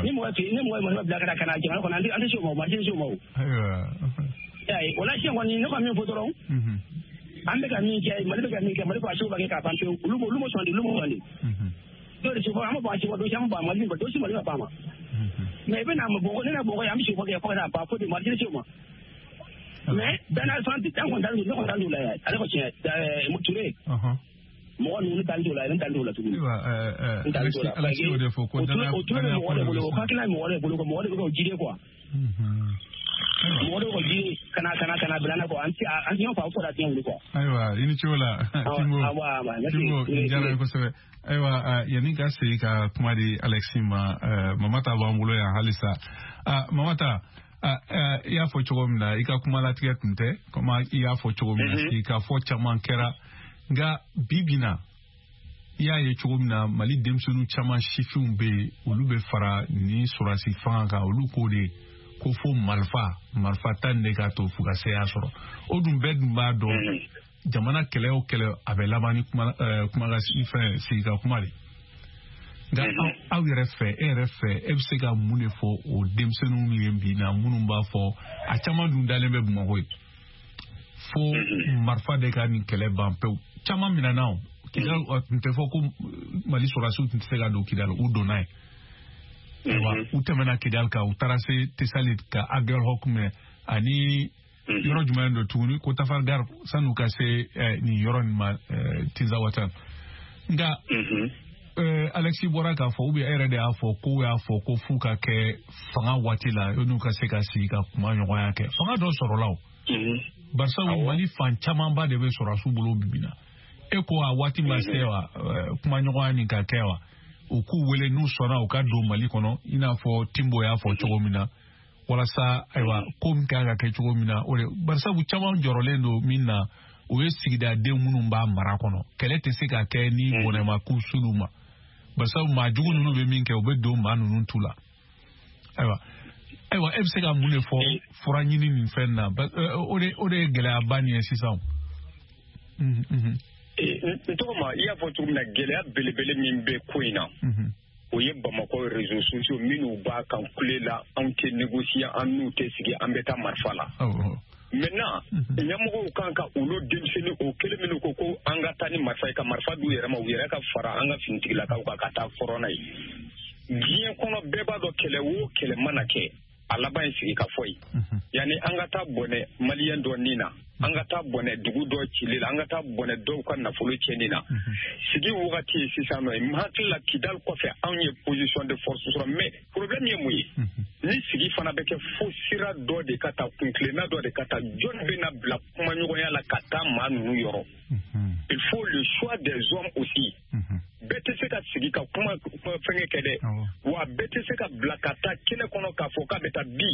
Ni mɔgɔ ye marifa bila ka na jamana kɔnɔ, an tɛ se o ma o, ma se o ma o. Ayiwa, o la sisan kɔni, ne ka min fɔ dɔrɔn, an bɛ ka min kɛ, Mali bɛ ka min kɛ, Mali ko a se b'a kɛ k'a ban pewu, olu ma sɔn de, olu ma sɔn de. Dɔw de sigi an bɛ bɔ a sigi dɔ si an bɛ ban Mali ma, dɔ si Mali ma ban ma. Mais i bɛ na bɔgɔ, ne na bɔgɔ ye, an bɛ sigi kɛ fo ka taa ban fo de, Mali tɛ se o ma. Mais danaya fan an kɔni t'ale ne kɔni t'ale la yan, ale ko tiɲɛ Ture. Mɔgɔ ninnu t'ale la, ne t'ale la tuguni. Ayiwa, Alexis y'o de fɔ ko danaya o ture bɛ mɔgɔ de bolo, o hakilina ye mɔgɔ de bolo, mɔgɔ de bɛ k'o jide quoi. Mɔgɔ dɔw ka jiri kana bila an kɔ an tɛ ɲɔgɔn faamu fo ka diɲɛ wuli quoi. Ayiwa i ni ce o la Timbo. Timbo nin diyara n ye kosɛbɛ. Ayiwa yanni ka segin ka kuma di Alexis ma, Mamata b'an bolo yan halisa. Mamata, i y'a fɔ cogo min na, i ka kuma latigɛ tun tɛ komi i y'a fɔ cogo min na, sigikafɔ caman kɛra, nka bi bi na i y'a ye cogo min na Mali denmisɛnnin caman sifinw bɛ yen, olu bɛ fara ni sɔrɔdasi fanga kan, olu k'o de ko fo marifa ta nin de k'a to f'u ka seya sɔrɔ. O dun bɛɛ dun b'a dɔn jamana kɛlɛ o kɛlɛ a bɛ laban ni kuma fɛn sigika kuma de. Nka aw yɛrɛ fɛ, e yɛrɛ fɛ, e bɛ se ka mun de fɔ o denmisɛnninw ye bi na minnu b'a fɔ a caman dun dalen bɛ Bamakɔ ye fo marifa de ka nin kɛlɛ ban pewu? Caman minɛna o Kidal tun tɛ fɔ ko Mali sɔrɔdasiw tun tɛ se ka don Kidal, u donna yen. Ayiwa u tɛmɛna Kidal kan, u taara se Tesali ka Aguelhok minɛ ani yɔrɔ jumɛn don tuguni ko Tafargar san'u ka se nin yɔrɔ nin ma Tinzawatan. Nka Alexis bɔra k'a fɔ, ou bien e yɛrɛ de y'a fɔ k'u y'a fɔ ko f'u ka kɛ fanga waati la n'u ka se ka sigi ka kuma ɲɔgɔnya kɛ. Fanga dɔ sɔrɔla o. Barisabu Mali fan camanba de bɛ sɔrɔdasiw bolo bi bi na. E ko a waati ma se wa kuma ɲɔgɔnya nin ka kɛ wa? U k'u wele n'u sɔnna u ka don Mali kɔnɔ, i n'a fɔ Timbo y'a fɔ cogo min na, walasa ayiwa ko min kan ka kɛ cogo min na o de. Barisabu caman jɔrɔlen don min na, o ye sigidaden minnu b'a mara kɔnɔ. Kɛlɛ tɛ se ka kɛ ni bɔnɛma k'u s'olu ma, barisabu maa jugu ninnu bɛ min kɛ, u bɛ don maa ninnu tu la. Ayiwa e bɛ se ka mun de fɔ fura ɲini nin fɛn na? O de ye gɛlɛyaba nin ye sisan. N tɔgɔ ma, i y'a fɔ cogo min na, gɛlɛya belebele min bɛ ko in na, o ye Bamakɔ réseaux sociaux minnu b'a kan kule la, anw tɛ négocier, an n'u tɛ sigi, an bɛ taa marifa la. Maintenant ɲɛmɔgɔw kan ka olu denmisɛnnin o kelen minnu ko ko an ka taa ni marifa ye, ka marifa d'u yɛrɛ ma, u yɛrɛ ka fara an ka finitigilakaw kan ka taa fɔrɔn n'a ye. Diɲɛ kɔnɔ bɛɛ b'a dɔn kɛlɛ o kɛlɛ mana kɛ, a laban ye sigi ka fɔ ye. Yanni an ka taa bɔnɛ maliyɛn dɔ nin na, an ka taa bɔnɛ dugu dɔ cili la, an ka taa bɔnɛ dɔw ka nafolo tiɲɛni na. Sigi wagati ye sisan nɔ ye. N hakili la Kidal kɔfɛ anw ye position de force sɔrɔ, mais problème ye mun ye? Ni sigi fana bɛ kɛ fo sira dɔ de ka taa, kuntilenna dɔ de ka taa, jɔn bɛ na bila kumaɲɔgɔnya la ka taa maa ninnu yɔrɔ? Il faut le choix des hommes aussi. Bɛɛ tɛ se ka sigi ka kuma fɛngɛ kɛ dɛ, wa bɛɛ tɛ se ka bila ka taa kɛnɛ kɔnɔ k'a fɔ k'a bɛ taa bi.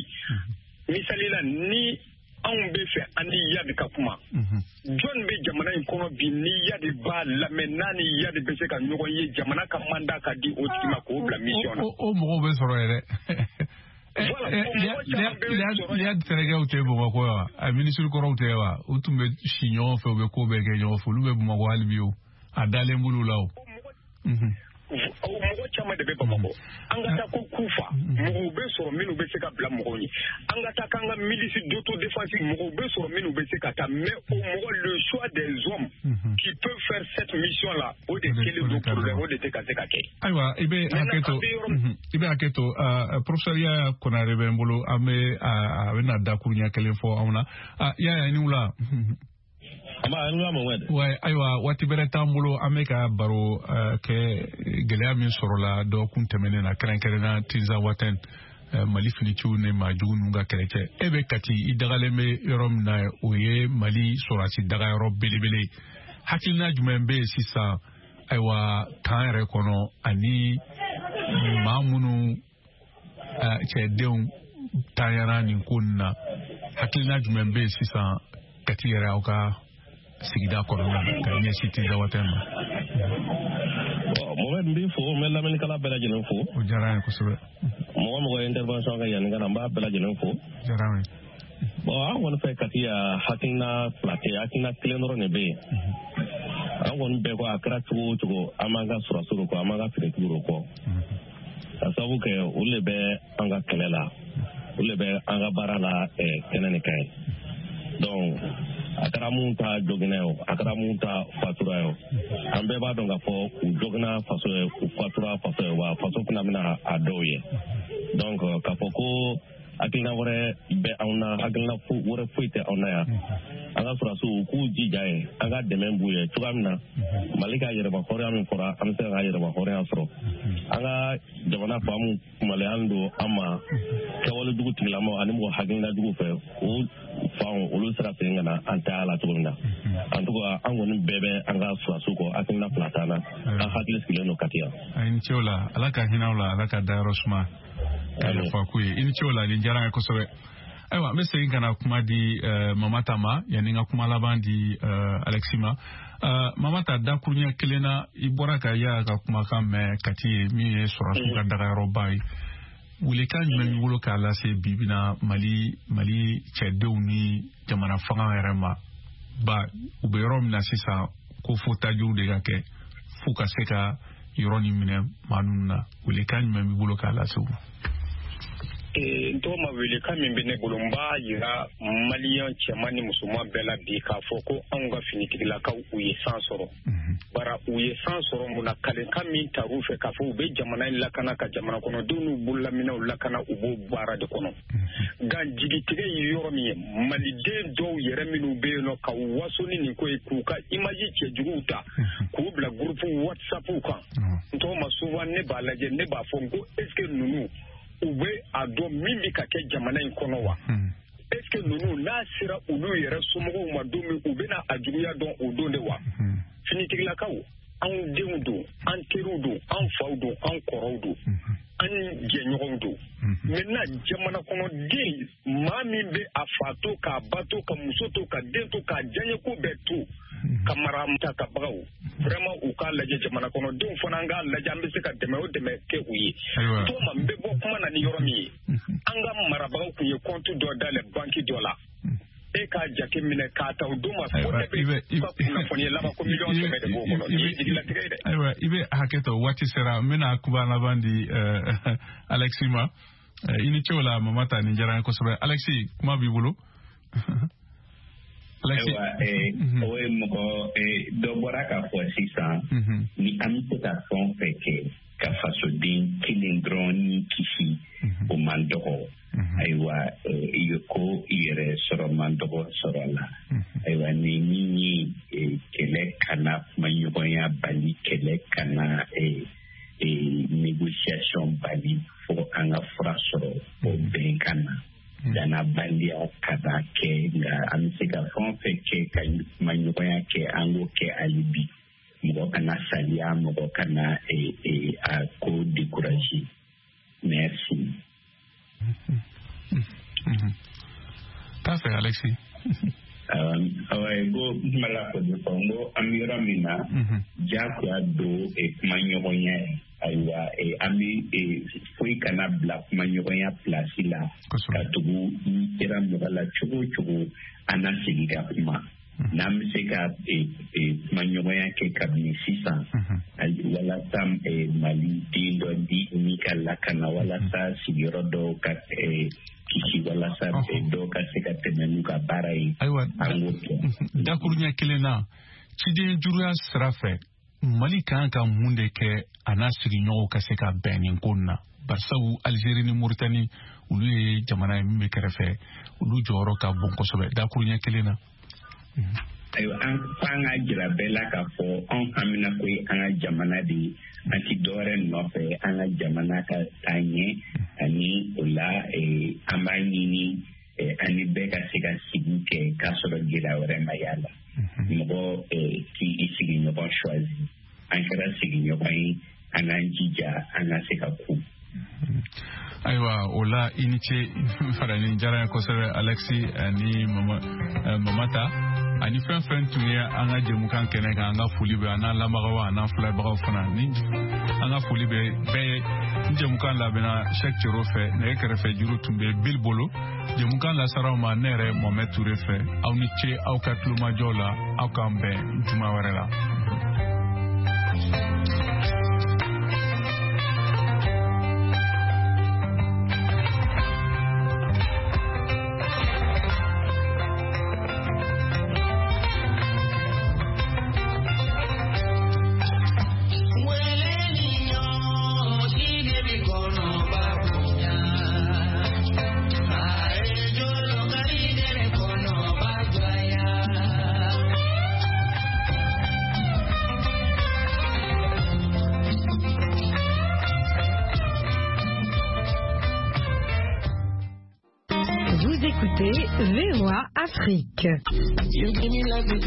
Misali la, ni anw bɛ fɛ an ni Yadi ka kuma, jɔn bɛ jamana in kɔnɔ bi ni Yadi b'a lamɛn, n'a ni Yadi bɛ se ka ɲɔgɔn ye, jamana ka mandat ka di o tigi ma k'o bila mission na? O mɔgɔw bɛ sɔrɔ yɛrɛ. Yadi terikɛw tɛ Bamakɔ wa? A minisiri kɔrɔw tɛ wa? U tun bɛ si ɲɔgɔn fɛ, u bɛ ko bɛɛ kɛ ɲɔgɔn fɛ, olu bɛ Bamakɔ hali bi o. A dalen b'olu la o. Mɔgɔ caman de bɛ Bamakɔ. An ka taa ko Kufa, mɔgɔw bɛ sɔrɔ minnu bɛ se ka bila mɔgɔw ɲɛ. An ka taa k'an ka milice d'autodéfense, mɔgɔw bɛ sɔrɔ minnu bɛ se ka taa, mais o mɔgɔ, le choix des hommes qui peuvent faire cette mission là, o de kɛlen don problème, o de tɛ ka se ka kɛ. Ayiwa i bɛ hakɛ to, professeur Yaya Konare bɛ n bolo, an bɛ a bɛna dakuruɲɛ kelen fɔ anw na. Yaya, i ni wula. Ouais, ayiwa waati bɛrɛ t'an bolo, an bɛ ka baro kɛ gɛlɛya min sɔrɔla dɔgɔkun tɛmɛnen na, kɛrɛnkɛrɛnnenya Tinzawatɛn, Mali finitigiw ni maa jugu ninnu ka kɛlɛ cɛ. E bɛ Kati, i dagalen bɛ yɔrɔ min na, o ye Mali sɔrɔdasi dagayɔrɔ belebele ye. Hakilina jumɛn bɛ yen sisan, ayiwa kan yɛrɛ kɔnɔ, ani maa minnu cɛdenw tanyara nin ko nin na, hakilina jumɛn bɛ yen sisan Kati yɛrɛ aw ka sigida kɔnɔna na ka ɲɛsin Tinzawatɛn ma? Mohamed, n b'i fo, n bɛ lamɛnnikɛla bɛɛ lajɛlen fo. O diyara n ye kosɛbɛ. Mɔgɔ mɔgɔ ye intervention kɛ yanni ka na, n b'a bɛɛ lajɛlen fo. O diyara n ye. Bon, an kɔni fɛ Kati yan, hakilina fila tɛ, hakilina kelen dɔrɔn de bɛ yen. An kɔni bɛɛ ko a kɛra cogo o cogo, an b'an ka sɔrɔdasiw kɔ, an b'an ka finitigiw kɔ. Ka sababu kɛ olu de bɛ an ka kɛlɛ la, olu de bɛ an ka baara la kɛnɛ nin kan ye. Donc a kɛra mun ta joginna ye o, a kɛra mun ta fatura ye o, an bɛɛ b'a dɔn k'a fɔ u joginna faso ye, u fatura faso ye, wa faso fana bɛna a dɔw ye. Donc k'a fɔ ko Hakilina wɛrɛ bɛ anw na, hakilina wɛrɛ foyi tɛ anw na yan. An ka sɔrɔdasiw, u k'u jija ye, an ka dɛmɛ b'u ye cogoya min na Mali ka yɛrɛma hɔrɔnya min fɔra, an bɛ se ka yɛrɛma hɔrɔnya sɔrɔ. An ka jamana faamu kumalen don an ma kɛwale jugu tigilamaw ani mɔgɔ hakilina jugu fɛ, o fanw olu sera segin ka na an tɛ a la cogo min na. En tout cas, an kɔni bɛɛ bɛ an ka sɔrɔdasiw kɔ, hakilina fila t'an na, an hakili sigilen don Kati yan. A ni ce o la, Ala ka hinɛ aw la, Ala ka dayɔrɔ suma, ka yafa k'u ye. I ni ce o la, nin diyara n ye kosɛbɛ. Ayiwa, n bɛ segin ka na kuma di Mamata ma yanni n ka kuma laban di Alexis ma. Mamata, dakuruɲɛ kelen na, i bɔra ka Yaya ka kumakan mɛn Kati ye, min ye sɔrɔdasiw ka dagayɔrɔba ye. Welekan jumɛn b'i bolo k'a lase bi bi na Mali cɛdenw ni jamana fanga yɛrɛ ma? Ba u bɛ yɔrɔ min na sisan, ko fo tajiw de ka kɛ f'u ka se ka yɔrɔ nin minɛ maa ninnu na. Welekan jumɛn b'i bolo k'a lase u ma? N tɔgɔ ma, welekan min bɛ ne bolo, n b'a yira maliyɛn cɛman ni musoman bɛɛ la bi k'a fɔ ko anw ka finitigilakaw, u ye san sɔrɔ. Bara u ye san sɔrɔ mun na? Kalenkan min tar'u fɛ k'a fɔ u bɛ jamana in lakana, ka jamana kɔnɔdenw n'u bololaminɛw lakana, u b'o baara de kɔnɔ. Nka jigitigɛ ye yɔrɔ min ye, maliden dɔw yɛrɛ minnu bɛ yen nɔ ka waso ni nin ko ye, k'u ka image cɛjuguw ta k'u bila groupe WhatsApp kan, n tɔgɔ ma, souvent ne b'a lajɛ, ne b'a fɔ n ko est ce que ninnu u bɛ a dɔn min bɛ ka kɛ jamana in kɔnɔ wa? Est ce que ninnu n'a sera olu yɛrɛ somɔgɔw ma don min, u bɛna a juguya dɔn o don de wa? Finitigilakaw, anw denw don, an teriw don, an faw don, an kɔrɔw don, an jɛɲɔgɔnw don. Maintenant, jamana kɔnɔden maa min bɛ a fa to, k'a ba to, ka muso to, ka den to, k'a diyaɲɛko bɛɛ to, ka mara ta ka bagaw, vraiment u k'a lajɛ. Jamana kɔnɔdenw fana, an k'a lajɛ an bɛ se ka dɛmɛ o dɛmɛ kɛ u ye. Tɔgɔma, n bɛ bɔ kuma na ni yɔrɔ min ye, an ka marabagaw tun ye compte dɔ dayɛlɛ banki dɔ la. E k'a jate minɛ k'a ta o don ma, fo ne bɛ ka kunnafoni laban ko 100 000 de b'o kɔnɔ. Nin ye jigilatigɛ ye dɛ. Ayiwa, i bɛ hakɛ to, waati sera, n bɛna kuma laban di Alexis ma. I ni ce o la, Mamata, nin diyara n ye kosɛbɛ. Alexis, kuma b'i bolo. Ayiwa, o ye mɔgɔ dɔ bɔra k'a fɔ sisan, ni an bɛ se ka fɛn o fɛn kɛ ka fasoden kelen dɔrɔn ni kisi, o man dɔgɔ. Ayiwa, ko yɛrɛ sɔrɔ man dɔgɔ sɔrɔ la. Ayiwa, ni min ye kɛlɛ kana kumaɲɔgɔnya bali, kɛlɛ kana négociation bali, fo an ka fura sɔrɔ o bɛn ka na danabaliya kana kɛ. Nka an bɛ se ka fɛn o fɛn kɛ ka kumaɲɔgɔnya kɛ, an k'o kɛ hali bi. Mɔgɔ kana saliya, mɔgɔ kana a ko décourager. Merci. T'a fɛ, Alexis. Awa, ko kuma la fɔ de fɔ, n ko an bɛ yɔrɔ min na, diyagoya don kumaɲɔgɔnya ye. Ayiwa, an bɛ foyi kana bila kumaɲɔgɔnya place la, ka tugu n'i sera mɔgɔ la cogo o cogo, an na segin ka kuma. N'an bɛ se ka kumaɲɔgɔnya kɛ kabini sisan, walasa Mali den dɔ di ni ka lakana, walasa sigiyɔrɔ dɔw ka kisi, walasa dɔw ka se ka tɛmɛ n'u ka baara ye. Ayiwa, an k'o kɛ. Dakuruɲɛ kelen na, ciden juruya sira fɛ, Mali kan ka mun de kɛ a n'a sigiɲɔgɔnw ka se ka bɛn nin ko in na? Barisabu Algérie ni Mauritanie, olu ye jamana ye min bɛ kɛrɛfɛ, olu jɔyɔrɔ ka bon kosɛbɛ. Dakuruɲɛ kelen na. Ayiwa, an f'an ka jira bɛɛ la k'a fɔ anw hamina ko ye an ka jamana de ye, an ti dɔwɛrɛ nɔfɛ, an ka jamana ka taa ɲɛ. Ani o la, an b'a ɲini an ni bɛɛ ka se ka sigi kɛ k'a sɔrɔ gɛlɛya wɛrɛ ma y'a la. Mɔgɔ k'i sigiɲɔgɔn choisi, an kɛra sigiɲɔgɔn ye, an k'an jija an ka se ka ku. Ayiwa, o la i ni ce fara, nin diyara n ye kosɛbɛ, Alexis ani Mamata ani fɛn fɛn tun ye an ka jɛmukan kɛnɛ kan. An ka foli bɛ an n'an lamɛnbagaw an n'an filɛbagaw fana, ni an ka foli bɛ bɛɛ ye. Ni jɛmukan labɛnna Sɛk Cero fɛ, nɛgɛ kɛrɛfɛ juru tun bɛ Bil bolo. Jɛmukan lasaraw ma ne yɛrɛ Mohamɛd Ture fɛ. Aw ni ce aw ka tulomajɔ la, aw k'an bɛn juma wɛrɛ la. écoutez VOA Afrique. You give me life with